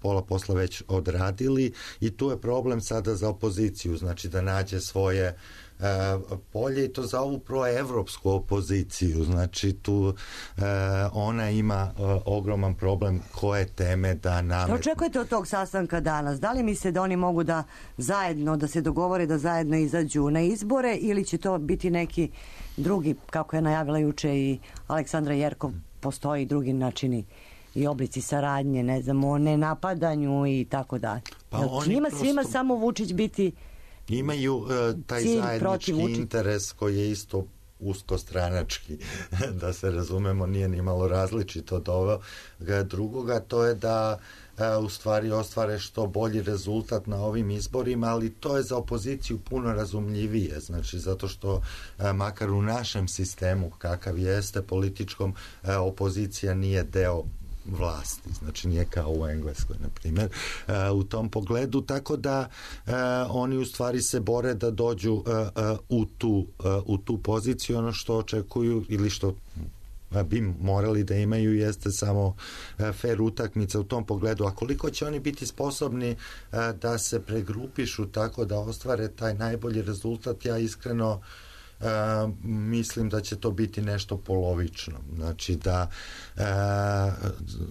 pola posla već odradili i tu je problem sada za opoziciju, znači da nađe svoje Uh, polje i to za ovu proevropsku opoziciju, znači tu uh, ona ima uh, ogroman problem koje teme da nametne. Očekujete od tog sastanka danas? Da li misle da oni mogu da zajedno, da se dogovore da zajedno izađu na izbore ili će to biti neki drugi, kako je najavila juče i Aleksandra Jerkov, postoji drugi načini i oblici saradnje, ne znam, o nenapadanju i tako dalje. Pa njima prosto... svima samo Vučić biti imaju uh, taj zajednički interes koji je isto uskostranački, da se razumemo, nije ni malo različito od ovoga drugoga, to je da uh, u stvari ostvare što bolji rezultat na ovim izborima, ali to je za opoziciju puno razumljivije, znači zato što uh, makar u našem sistemu kakav jeste političkom, uh, opozicija nije deo vlasti, znači nije kao u Engleskoj, na primjer, uh, u tom pogledu, tako da uh, oni u stvari se bore da dođu uh, uh, u, tu, uh, u tu poziciju, ono što očekuju ili što bi morali da imaju jeste samo uh, fair utakmica u tom pogledu, a koliko će oni biti sposobni uh, da se pregrupišu tako da ostvare taj najbolji rezultat, ja iskreno Uh, mislim da će to biti nešto polovično, znači da uh,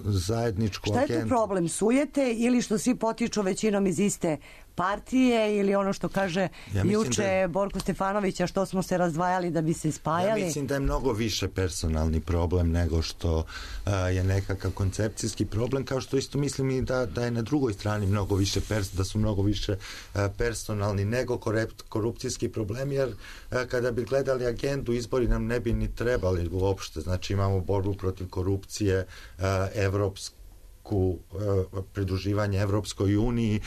zajedničku agendu... Šta je tu problem? Sujete ili što svi potiču većinom iz iste partije ili ono što kaže ja juče da... Borko Stefanovića, što smo se razdvajali da bi se spajali? Ja mislim da je mnogo više personalni problem nego što uh, je nekakav koncepcijski problem, kao što isto mislim i da, da je na drugoj strani mnogo više pers, da su mnogo više uh, personalni nego korupcijski problem, jer uh, kada bi gledali agendu, izbori nam ne bi ni trebali uopšte, znači imamo borbu protiv korupcije, uh, evropsku pridruživanje Evropskoj uniji,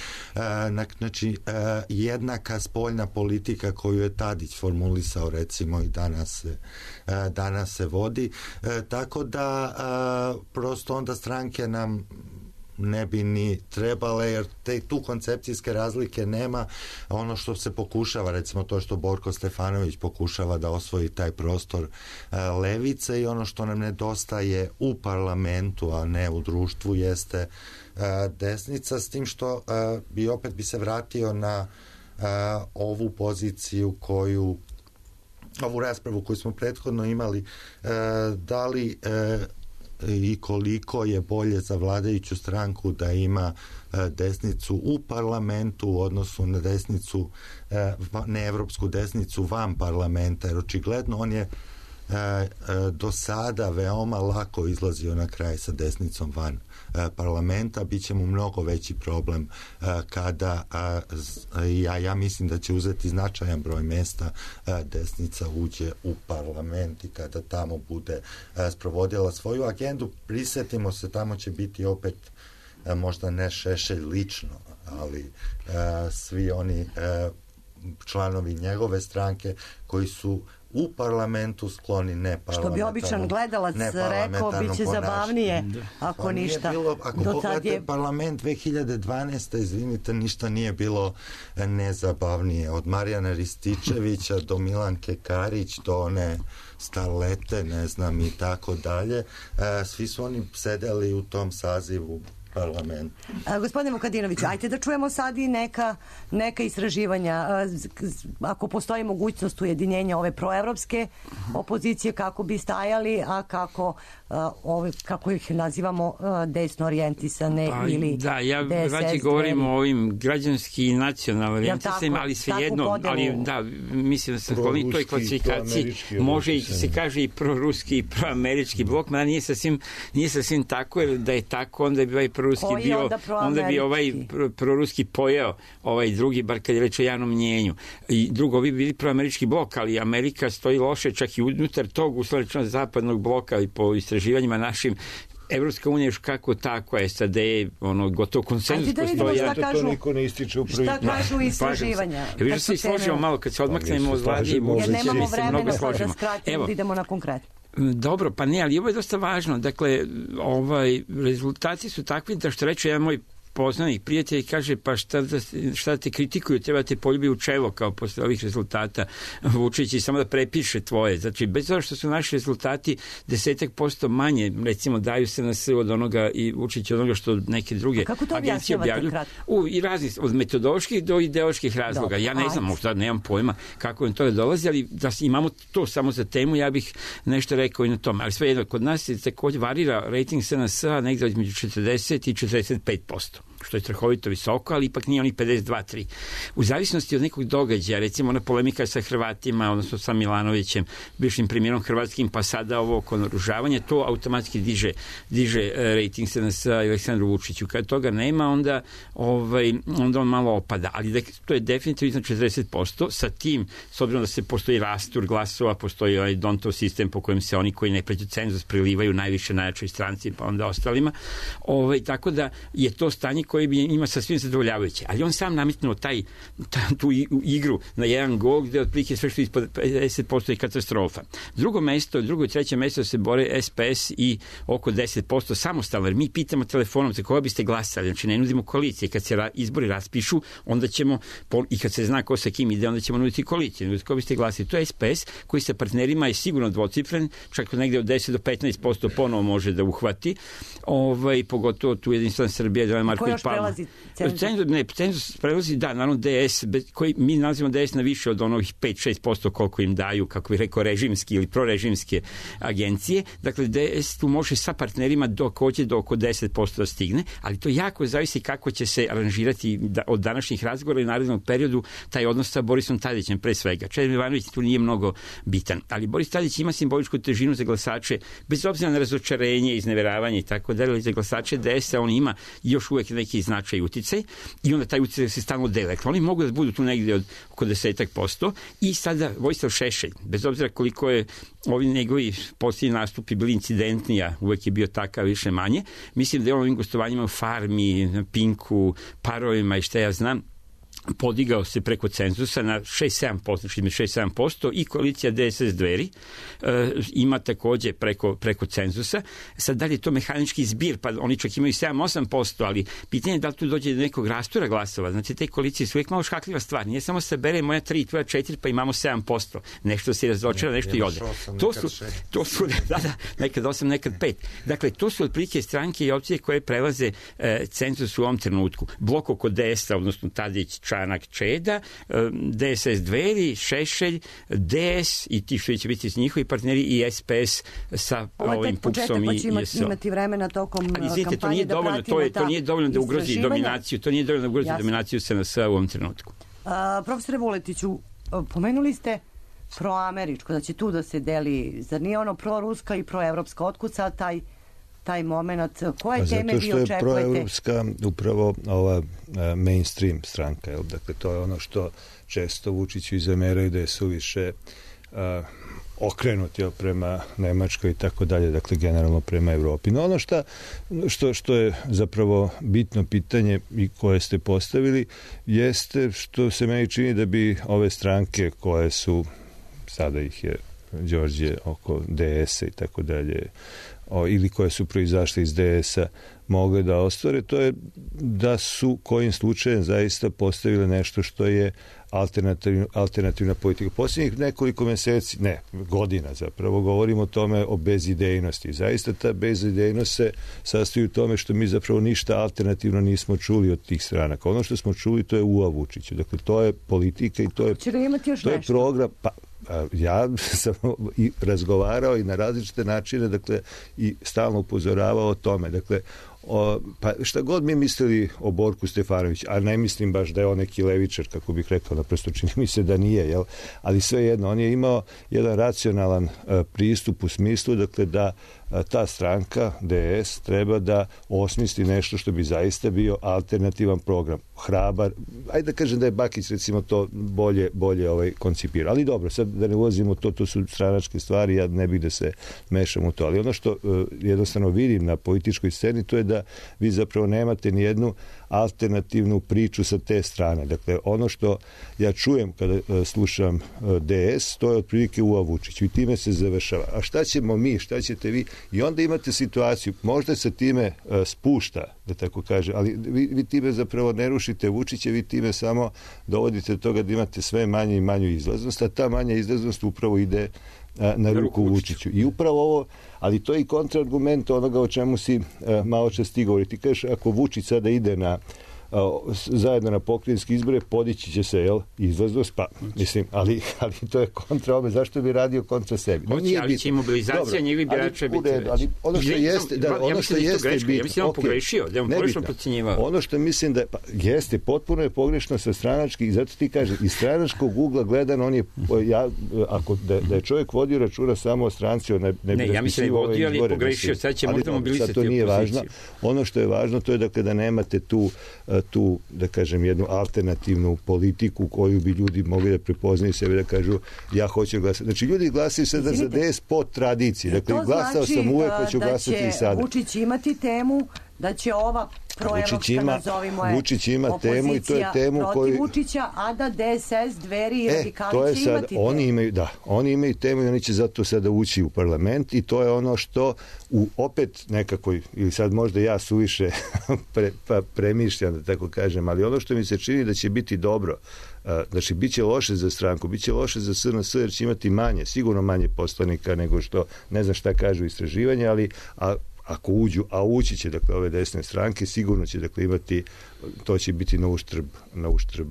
znači jednaka spoljna politika koju je Tadić formulisao recimo i danas se, danas se vodi, tako da prosto onda stranke nam ne bi ni trebale, jer te tu koncepcijske razlike nema. Ono što se pokušava, recimo to što Borko Stefanović pokušava da osvoji taj prostor uh, levice, i ono što nam nedostaje u parlamentu, a ne u društvu, jeste uh, desnica, s tim što uh, bi opet bi se vratio na uh, ovu poziciju koju ovu raspravu koju smo prethodno imali, uh, da li uh, i koliko je bolje za vladajuću stranku da ima desnicu u parlamentu u odnosu na desnicu, neevropsku desnicu van parlamenta, jer očigledno on je do sada veoma lako izlazio na kraj sa desnicom van parlamenta. Biće mu mnogo veći problem kada ja, ja mislim da će uzeti značajan broj mesta desnica uđe u parlament i kada tamo bude sprovodila svoju agendu. Prisetimo se, tamo će biti opet možda ne Šešelj lično, ali svi oni članovi njegove stranke koji su u parlamentu skloni neparlamentarnom. Što bi običan gledalac rekao, bit će zabavnije ako pa ništa. Bilo, ako pogledate je... parlament dve hiljade dvanaeste. izvinite, ništa nije bilo nezabavnije. Od Marijana Rističevića do Milanke Karić, do one starlete, ne znam, i tako dalje. Svi su oni sedeli u tom sazivu parlament. A, gospodine Vukadinoviću, ajte da čujemo sad i neka, neka istraživanja. A, ako postoji mogućnost ujedinjenja ove proevropske opozicije, kako bi stajali, a kako a, ove, kako ih nazivamo, a, desno orijentisane pa, ili da, ja D S S rađe govorim o ovim građanski i nacionalno orijentisanima, ali svejedno, ali da, mislim da sam skloni toj klasifikaciji, može i se kaže i proruski i proamerički blok, mada nije sasvim, nije sasvim tako, jer da je tako, onda bi ovaj proruski bio, onda, onda bi ovaj proruski pojeo ovaj drugi, bar kad je reč o javnom mnjenju. I drugo, bi bili proamerički blok, ali Amerika stoji loše čak i unutar tog uslovno zapadnog bloka, i po istraživanjima našim. Evropska unija još kako tako, S A D je ono, gotovo konsenzus da postoji. Ja, to niko ne ističe u prvi. Šta kažu istraživanja? Ja viš da se složimo malo, kad se odmaknemo od vladi, jer nemamo vremena da skratimo, idemo na konkretno. Dobro, pa ne, ali ovo je dosta važno. Dakle, ovaj, rezultati su takvi da što reče jedan moj poznanik, prijatelj, kaže, pa šta, da, šta te kritikuju, treba te poljubi u čelo kao posle ovih rezultata Vučić i samo da prepiše tvoje. Znači, bez toga što su naši rezultati desetak posto manje, recimo, daju se na sve od onoga i Vučić od onoga što neke druge agencije objavljuju. U, i razni, od metodoloških do ideoloških razloga. Dobre, ja ne znam, možda nemam pojma kako im to dolazi, ali da imamo to samo za temu, ja bih nešto rekao i na tome. Ali sve jedno, kod nas je takođe varira rating S N S-a negde između četrdeset i četrdeset pet posto. Što je strahovito visoko, ali ipak nije onih pedeset dva tri. U zavisnosti od nekog događaja, recimo ona polemika sa Hrvatima, odnosno sa Milanovićem, bivšim premijerom hrvatskim, pa sada ovo oko naoružavanja, to automatski diže, diže rating S N S-a i Aleksandru Vučiću. Kad toga nema, onda, ovaj, onda on malo opada. Ali da, to je definitivno iznad četrdeset posto. Sa tim, s obzirom da se postoji rastur glasova, postoji ovaj Dontov sistem po kojem se oni koji ne pređu cenzus prilivaju najviše najjačoj stranci, pa onda ostalima. Ovaj, tako da je to stanje koji bi ima sasvim zadovoljavajuće. Ali on sam nametnuo taj, tu igru na jedan gol gde otprilike sve što ispod pedeset posto je katastrofa. Drugo mesto, drugo i treće mesto se bore S P S i oko deset posto samostalno, jer mi pitamo telefonom za koga biste glasali, znači ne nudimo koalicije. Kad se izbori raspišu, onda ćemo, i kad se zna ko sa kim ide, onda ćemo nuditi koalicije. Koga biste glasili? To je S P S koji sa partnerima je sigurno dvocifren, čak negde od deset do petnaest posto ponovo može da uhvati. Ovaj, pogotovo tu Jedinstvena Srbija, Dragan Marković Palma. Cenzus, ne, cenzus prelazi, da, naravno D S, koji mi nalazimo D S na više od onih pet do šest posto koliko im daju, kako bih rekao, režimski ili prorežimske agencije. Dakle, D S tu može sa partnerima dok hoće do oko deset posto da stigne, ali to jako zavisi kako će se aranžirati da, od današnjih razgovora i narednog periodu taj odnos sa Borisom Tadićem pre svega. Čedomir Jovanović tu nije mnogo bitan, ali Boris Tadić ima simboličku težinu za glasače, bez obzira na razočarenje, izneveravanje i tako dalje, za glasače D S-a on ima još uvek neki značaj i uticaj i onda taj uticaj se stalno dele. Oni mogu da budu tu negdje od oko desetak posto i sada Vojislav Šešelj, bez obzira koliko je ovi njegovi posljednji nastupi bili incidentni, a uvek je bio takav više manje, mislim da je on ovim gostovanjima u Farmi, na Pinku, Parovima i šta ja znam, podigao se preko cenzusa na šest do sedam posto, znači šest do sedam posto i koalicija D S S Dveri e, ima takođe preko, preko cenzusa. Sad da li je to mehanički zbir, pa oni čak imaju sedam do osam posto, ali pitanje je da li tu dođe do nekog rastura glasova. Znači te koalicije su uvijek malo škakljiva stvar. Nije samo sabere moja tri, tvoja četiri, pa imamo sedam posto. Nešto se razočara, nešto i ode. To su, to su, da, da, nekad osam, nekad pet. Dakle, to su otprilike stranke i opcije koje prelaze e, cenzus u ovom trenutku. Blok oko D S-a, odnosno Tadić, Čanak, Čeda, D S S Dveri, Šešelj, D S i ti što će biti s njihovi partneri i S P S sa ovim Pupsom i I S O. Imati vremena tokom ali, izvijete, kampanje to nije da dovoljno, to, je, to nije dovoljno da ugrozi dominaciju, to nije dovoljno da ugrozi Jasne. dominaciju S N S-a u ovom trenutku. A, profesore Vuletiću, pomenuli ste proameričko, da će tu da se deli, zar nije ono proruska i proevropska, otkud sad taj taj moment, koje teme vi očekujete? Zato što je proevropska upravo ova mainstream stranka, jel? Dakle, to je ono što često Vučiću zameraju da je suviše uh, okrenut jel, prema Nemačkoj i tako dalje, dakle generalno prema Evropi. No ono šta, što, što je zapravo bitno pitanje i koje ste postavili jeste što se meni čini da bi ove stranke koje su, sada ih je Đorđe oko D S-a i tako dalje, o, ili koje su proizašle iz D S-a mogle da ostvare, to je da su kojim slučajem zaista postavile nešto što je alternativna, alternativna politika. Posljednjih nekoliko meseci, ne, godina zapravo, govorimo o tome o bezidejnosti. Zaista ta bezidejnost se sastoji u tome što mi zapravo ništa alternativno nismo čuli od tih stranaka. Ono što smo čuli to je U A Vučiću. Dakle, to je politika i to je, to je program. Pa, ja sam i razgovarao i na različite načine, dakle, i stalno upozoravao o tome. Dakle, o, pa šta god mi mislili o Borku Stefanoviću, a ne mislim baš da je on neki levičar, kako bih rekao, naprosto čini mi se da nije, jel? Ali svejedno, on je imao jedan racionalan uh, pristup u smislu, dakle, da ta stranka D S treba da osmisli nešto što bi zaista bio alternativan program, hrabar, ajde da kažem da je Bakić recimo to bolje, bolje ovaj koncipira, ali dobro, sad da ne ulazimo to, to su stranačke stvari, ja ne bih da se mešam u to, ali ono što uh, jednostavno vidim na političkoj sceni, to je da vi zapravo nemate ni jednu alternativnu priču sa te strane. Dakle, ono što ja čujem kada uh, slušam uh, D S, to je otprilike Uva Vučić i time se završava. A šta ćemo mi, šta ćete vi? I onda imate situaciju, možda se time uh, spušta, da tako kaže, ali vi, vi time zapravo ne rušite Vučića, vi time samo dovodite do toga da imate sve manje i manju izlaznost, a ta manja izlaznost upravo ide a, na ruku Vučiću. I upravo ovo, ali to je i kontraargument onoga o čemu si a, malo čas ti govori. Ti kažeš, ako Vučić sada ide na zajedno na pokrajinske izbore, podići će se, jel, izlaznost, pa, mislim, ali, ali to je kontra ome, zašto bi radio kontra sebi? Hoće, no, ali će mobilizacija njegovih birača biti veća. Ali ono što jeste, da, ono što jeste biti, ja mislim da on pogrešio, da on pogrešno procenjivao. Ono što mislim da, pa, jeste, potpuno je pogrešno sa stranački, i zato ti kažem, iz stranačkog ugla gledan, on je, ja, ako, da, da je čovjek vodio računa samo o stranci, on ne, ne, ne ja mislim da je vodio, ali je pogrešio, sad će možda mobilisati to nije važno. Ono što je važno, to je da kada nemate tu tu, da kažem, jednu alternativnu politiku koju bi ljudi mogli da prepoznaju sebe, da kažu ja hoću glasati. Znači, ljudi glasaju sada za D S po tradiciji. Dakle, glasao znači, sam uvek, pa ću glasati i sada. Da će Vučić imati temu, da će ova proevropska, nazovimo je, Vučić ima temu i to je temu protiv koju... Vučića, a da D S S, Dveri i e, radikali će sad, imati temu. Oni imaju, da, oni imaju temu i oni će zato sada ući u parlament i to je ono što u opet nekakvoj, ili sad možda ja suviše pre, pa premišljam, da tako kažem, ali ono što mi se čini da će biti dobro, znači bit će loše za stranku, bit će loše za S N S jer će imati manje, sigurno manje poslanika nego što, ne znam šta kažu istraživanja, ali a, ako uđu, a ući će, dakle, ove desne stranke, sigurno će, dakle, imati, to će biti na uštrb, na uštrb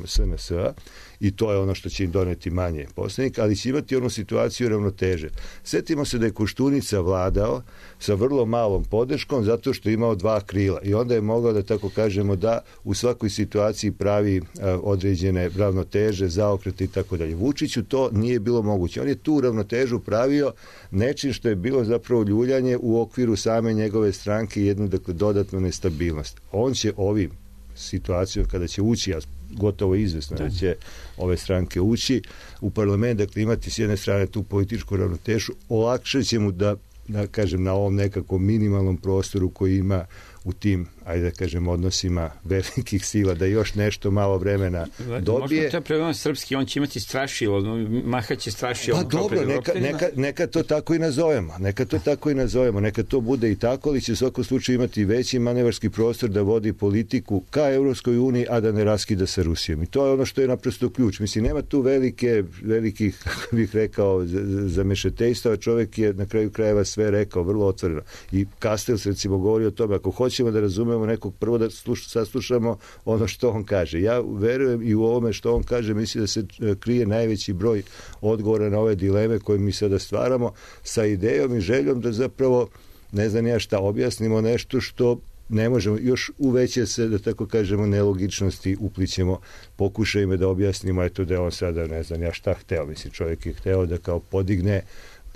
S N S-a i to je ono što će im doneti manje poslanika, ali će imati onu situaciju ravnoteže. Sjetimo se da je Koštunica vladao sa vrlo malom podrškom zato što je imao dva krila i onda je mogao, da tako kažemo, da u svakoj situaciji pravi a, određene ravnoteže, zaokrete i tako dalje. Vučiću to nije bilo moguće. On je tu ravnotežu pravio nečim što je bilo zapravo ljuljanje u okviru same njegove stranke i jednu, dakle, dodatnu nestabilnost. On će ovim situacijom kada će ući, ja gotovo izvesno da će ove stranke ući u parlament, dakle imati s jedne strane tu političku ravnotežu, olakšat će mu da, da kažem, na ovom nekakvom minimalnom prostoru koji ima u tim, ajde da kažem, odnosima velikih sila, da još nešto malo vremena dobije. Možda to je problem srpski, on će imati strašilo, mahaće strašilo. Pa dobro, neka, neka, neka to tako i nazovemo, neka to tako i nazovemo, neka to bude i tako, ali će u svakom slučaju imati veći manevarski prostor da vodi politiku ka Evropskoj uniji, a da ne raskida sa Rusijom. I to je ono što je naprosto ključ. Mislim, nema tu velike, velikih, kako bih rekao, zamešetejstava. Čovjek je na kraju krajeva sve rekao, vrlo otvoreno. I Kastels, recimo, govori o tome, ako hoćemo da razumemo nekog, prvo da sluš, saslušamo ono što on kaže. Ja verujem i u ovome što on kaže, mislim da se krije najveći broj odgovora na ove dileme koje mi sada stvaramo sa idejom i željom da zapravo, ne znam ja šta, objasnimo nešto što ne možemo, još uveće se, da tako kažemo, nelogičnosti uplićemo, pokušajmo da objasnimo, eto da je on sada, ne znam ja šta hteo, mislim, čovjek je hteo da kao podigne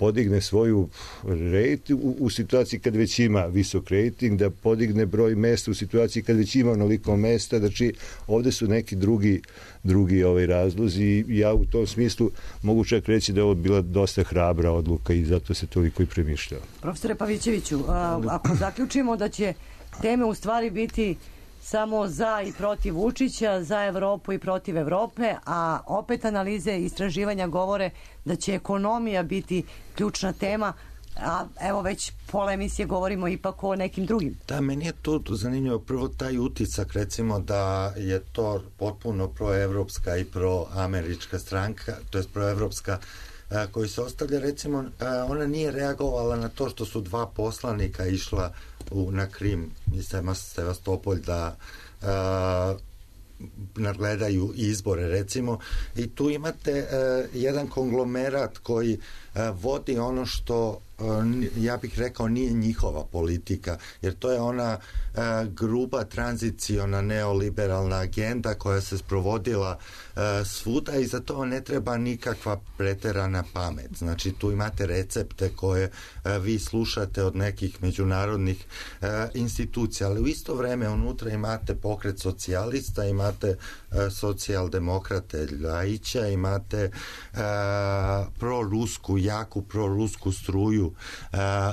podigne svoju rating u, u situaciji kad već ima visok rating, da podigne broj mesta u situaciji kad već ima onoliko mesta, znači ovde su neki drugi, drugi ovaj razlozi i ja u tom smislu mogu čak reći da je ovo bila dosta hrabra odluka i zato se toliko i premišljao. Profesore Pavićeviću, a, ako zaključimo da će teme u stvari biti samo za i protiv Vučića, za Evropu i protiv Evrope, a opet analize i istraživanja govore da će ekonomija biti ključna tema, a evo već pola emisije govorimo ipak o nekim drugim. Da, meni je to zanimljivo. Prvo taj uticak, recimo da je to potpuno proevropska i proamerička stranka, to je proevropska koji se ostavlja, recimo, ona nije reagovala na to što su dva poslanika išla u, na Krim iz Sevastopolj da a, nadgledaju izbore, recimo, i tu imate a, jedan konglomerat koji a, vodi ono što ja bih rekao, nije njihova politika, jer to je ona gruba tranziciona neoliberalna agenda koja se sprovodila svuda i za to ne treba nikakva preterana pamet. Znači, tu imate recepte koje vi slušate od nekih međunarodnih institucija, ali u isto vreme unutra imate pokret socijalista, imate socijaldemokrate Ljajića, imate prorusku, jaku prorusku struju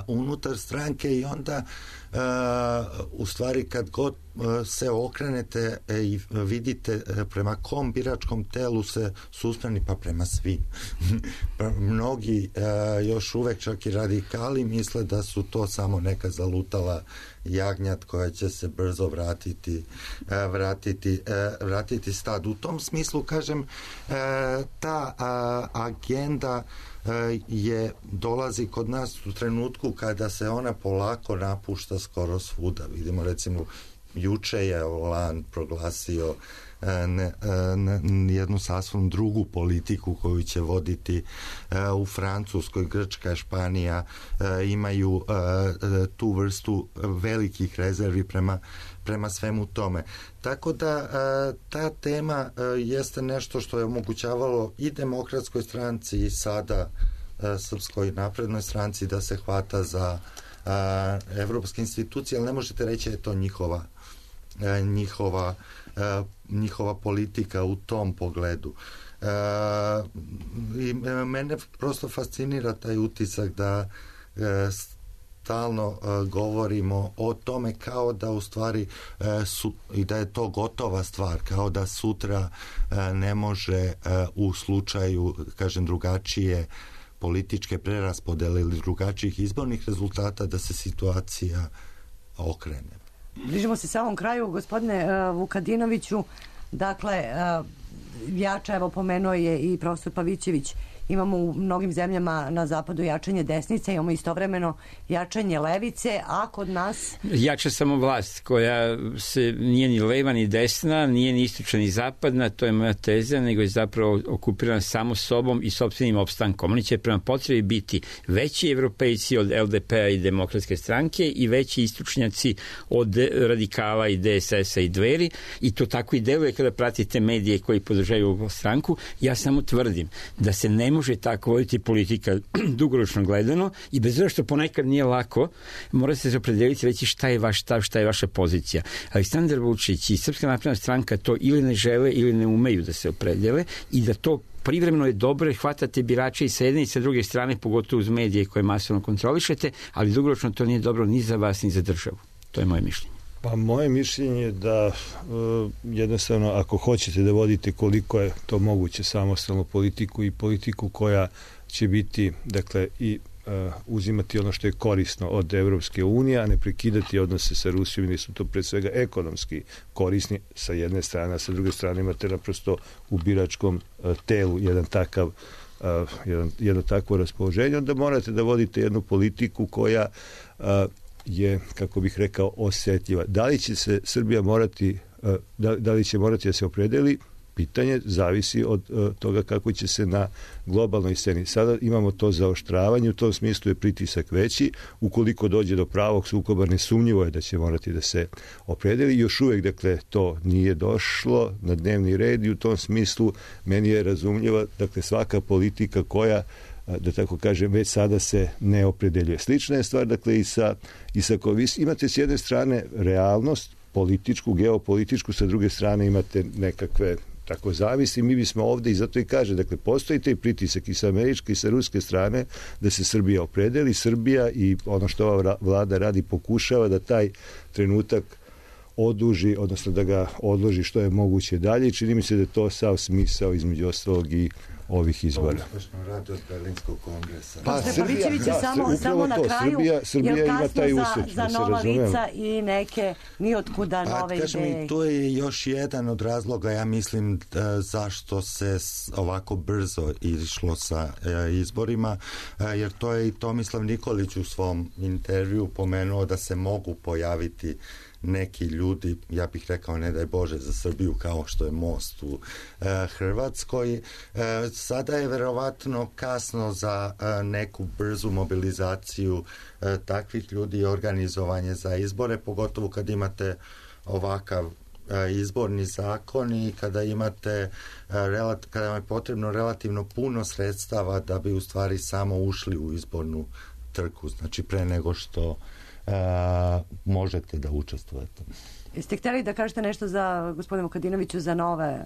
unutar stranke i onda u stvari kad god se okrenete i vidite prema kom biračkom telu se susprani, pa prema svim. Mnogi još uvek, čak i radikali, misle da su to samo neka zalutala jagnjad koja će se brzo vratiti vratiti, vratiti stad. U tom smislu, kažem, ta agenda je dolazi kod nas u trenutku kada se ona polako napušta skoro svuda. Vidimo, recimo, juče je Hollande proglasio ne, ne, jednu sasvim drugu politiku koju će voditi u Francuskoj, Grčka, Španija imaju tu vrstu velikih rezervi prema, prema svemu tome. Tako da ta tema jeste nešto što je omogućavalo i Demokratskoj stranci i sada Srpskoj naprednoj stranci da se hvata za evropske institucije, ali ne možete reći da je to njihova njihova njihova politika u tom pogledu. I mene prosto fascinira taj utisak da stalno govorimo o tome kao da u stvari su, i da je to gotova stvar, kao da sutra ne može u slučaju, kažem, drugačije političke preraspodele ili drugačijih izbornih rezultata da se situacija okrene. Bližimo se samom kraju, gospodine uh, Vukadinoviću. Dakle, uh, jača, evo pomenuo je i profesor Pavićević, imamo u mnogim zemljama na zapadu jačanje desnice, imamo istovremeno jačanje levice, a kod nas... Jača samo vlast koja se nije ni leva ni desna, nije ni istočna ni zapadna, to je moja teza, nego je zapravo okupirana samo sobom i sopstvenim opstankom. Oni će prema potrebi biti veći evropejci od L D P-a i Demokratske stranke i veći istočnjaci od radikala i D S S-a i Dveri, i to tako i deluje kada pratite medije koji podržaju stranku. Ja samo tvrdim da se ne može tako voditi politika dugoročno gledano i bez obzira što ponekad nije lako, morate se opredeliti reći šta je vaš stav, šta je vaša pozicija. Aleksandar Vučić i Srpska napredna stranka to ili ne žele ili ne umeju da se opredele i da to privremeno je dobro, hvatate birače i sa jedne i sa druge strane, pogotovo uz medije koje masovno kontrolišete, ali dugoročno to nije dobro ni za vas ni za državu. To je moje mišljenje. Pa moje mišljenje je da uh, jednostavno ako hoćete da vodite koliko je to moguće samostalnu politiku i politiku koja će biti, dakle, i uh, uzimati ono što je korisno od Evropske unije, a ne prekidati odnose sa Rusijom, jer su to pre svega ekonomski korisni sa jedne strane, a sa druge strane imate naprosto u biračkom uh, telu jedan takav uh, jedan, jedno takvo raspoloženje, onda morate da vodite jednu politiku koja uh, je, kako bih rekao, osjetljiva. Da li će se Srbija morati, da, da li će morati da se opredeli? Pitanje zavisi od toga kako će se na globalnoj sceni. Sada imamo to zaoštravanje, u tom smislu je pritisak veći. Ukoliko dođe do pravog sukoba, nesumnjivo je da će morati da se opredeli. Još uvek, dakle, to nije došlo na dnevni red i u tom smislu meni je razumljiva, dakle, svaka politika koja, da tako kažem, već sada se ne opredeljuje. Slična je stvar, dakle, i sa, i sa kovis. Imate s jedne strane realnost, političku, geopolitičku, sa druge strane imate nekakve tako zavisi. Mi bismo ovde, i zato i kaže, dakle, postoji taj pritisak i sa američke i sa ruske strane da se Srbija opredeli. Srbija i ono što ova vlada radi pokušava da taj trenutak oduži, odnosno da ga odloži što je moguće dalje. Čini mi se da je to sav smisao između ostalog i ovih izbora. Uspešno radi od Berlinskog kongresa. Pa, pa Srbija, da, samo, samo na to. kraju, Srbija, Srbija ima taj uspeh, za, za nova lica i neke nijotkuda pa, nove kažem, ideje. I to je još jedan od razloga, ja mislim, da, zašto se ovako brzo išlo sa e, izborima, e, jer to je i Tomislav Nikolić u svom intervju pomenuo da se mogu pojaviti neki ljudi, ja bih rekao, ne daj Bože za Srbiju, kao što je Most u e, Hrvatskoj, e, sada je verovatno kasno za neku brzu mobilizaciju takvih ljudi i organizovanje za izbore, pogotovo kad imate ovakav izborni zakon i kada imate kada vam je potrebno relativno puno sredstava da bi u stvari samo ušli u izbornu trku, znači pre nego što a, možete da učestvujete. Jeste htjeli da kažete nešto za gospodinu Vukadinoviću za nove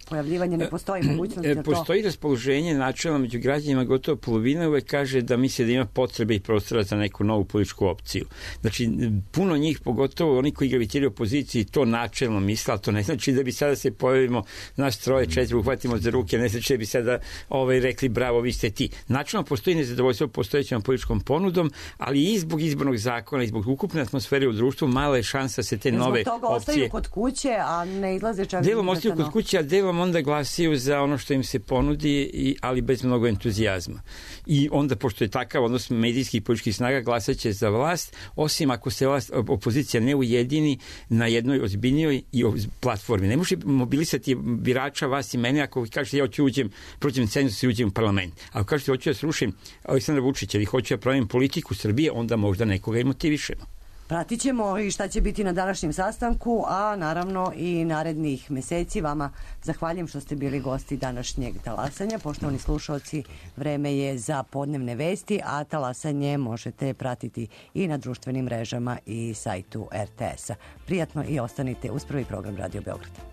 pojavljivanje, ne postoji mogućnost za to? Postoji raspoloženje načelno među građanima, gotovo polovina uvek kaže da misle da ima potrebe i prostora za neku novu političku opciju. Znači, puno njih, pogotovo oni koji gravitiraju opoziciji, to načelno misle, ali to ne znači da bi sada se pojavimo nas troje, četiri, uhvatimo za ruke, ne znači da bi sada ovaj, rekli bravo, vi ste ti. Načelno postoji nezadovoljstvo postojećom političkom ponudom, ali i zbog izbornog zakona i zbog ukupne atmosfere u društvu mala je šansa se te nove opcije... Zbog toga ostaju kod kuće, a ne izlaze čak... Delom ostaju kod kuće, a delom onda glasaju za ono što im se ponudi, i, ali bez mnogo entuzijazma. I onda, pošto je takav odnos medijskih i političkih snaga, glasaće za vlast, osim ako se vlast, opozicija ne ujedini na jednoj ozbiljnijoj i platformi. Ne može mobilisati birača, vas i mene, ako kažete ja hoću uđem, protiv cenzusa i uđem u parlament. Ako kažete hoću da srušim Aleksandra Vučića ili hoću da pravim politiku Srbije, onda možda nekoga i motivišemo. Pratit ćemo i šta će biti na današnjem sastanku, a naravno i narednih meseci. Vama zahvaljujem što ste bili gosti današnjeg talasanja. Poštovani slušalci, vreme je za podnevne vesti, a talasanje možete pratiti i na društvenim mrežama i sajtu er te esa. Prijatno i ostanite uz prvi program Radio Beograd.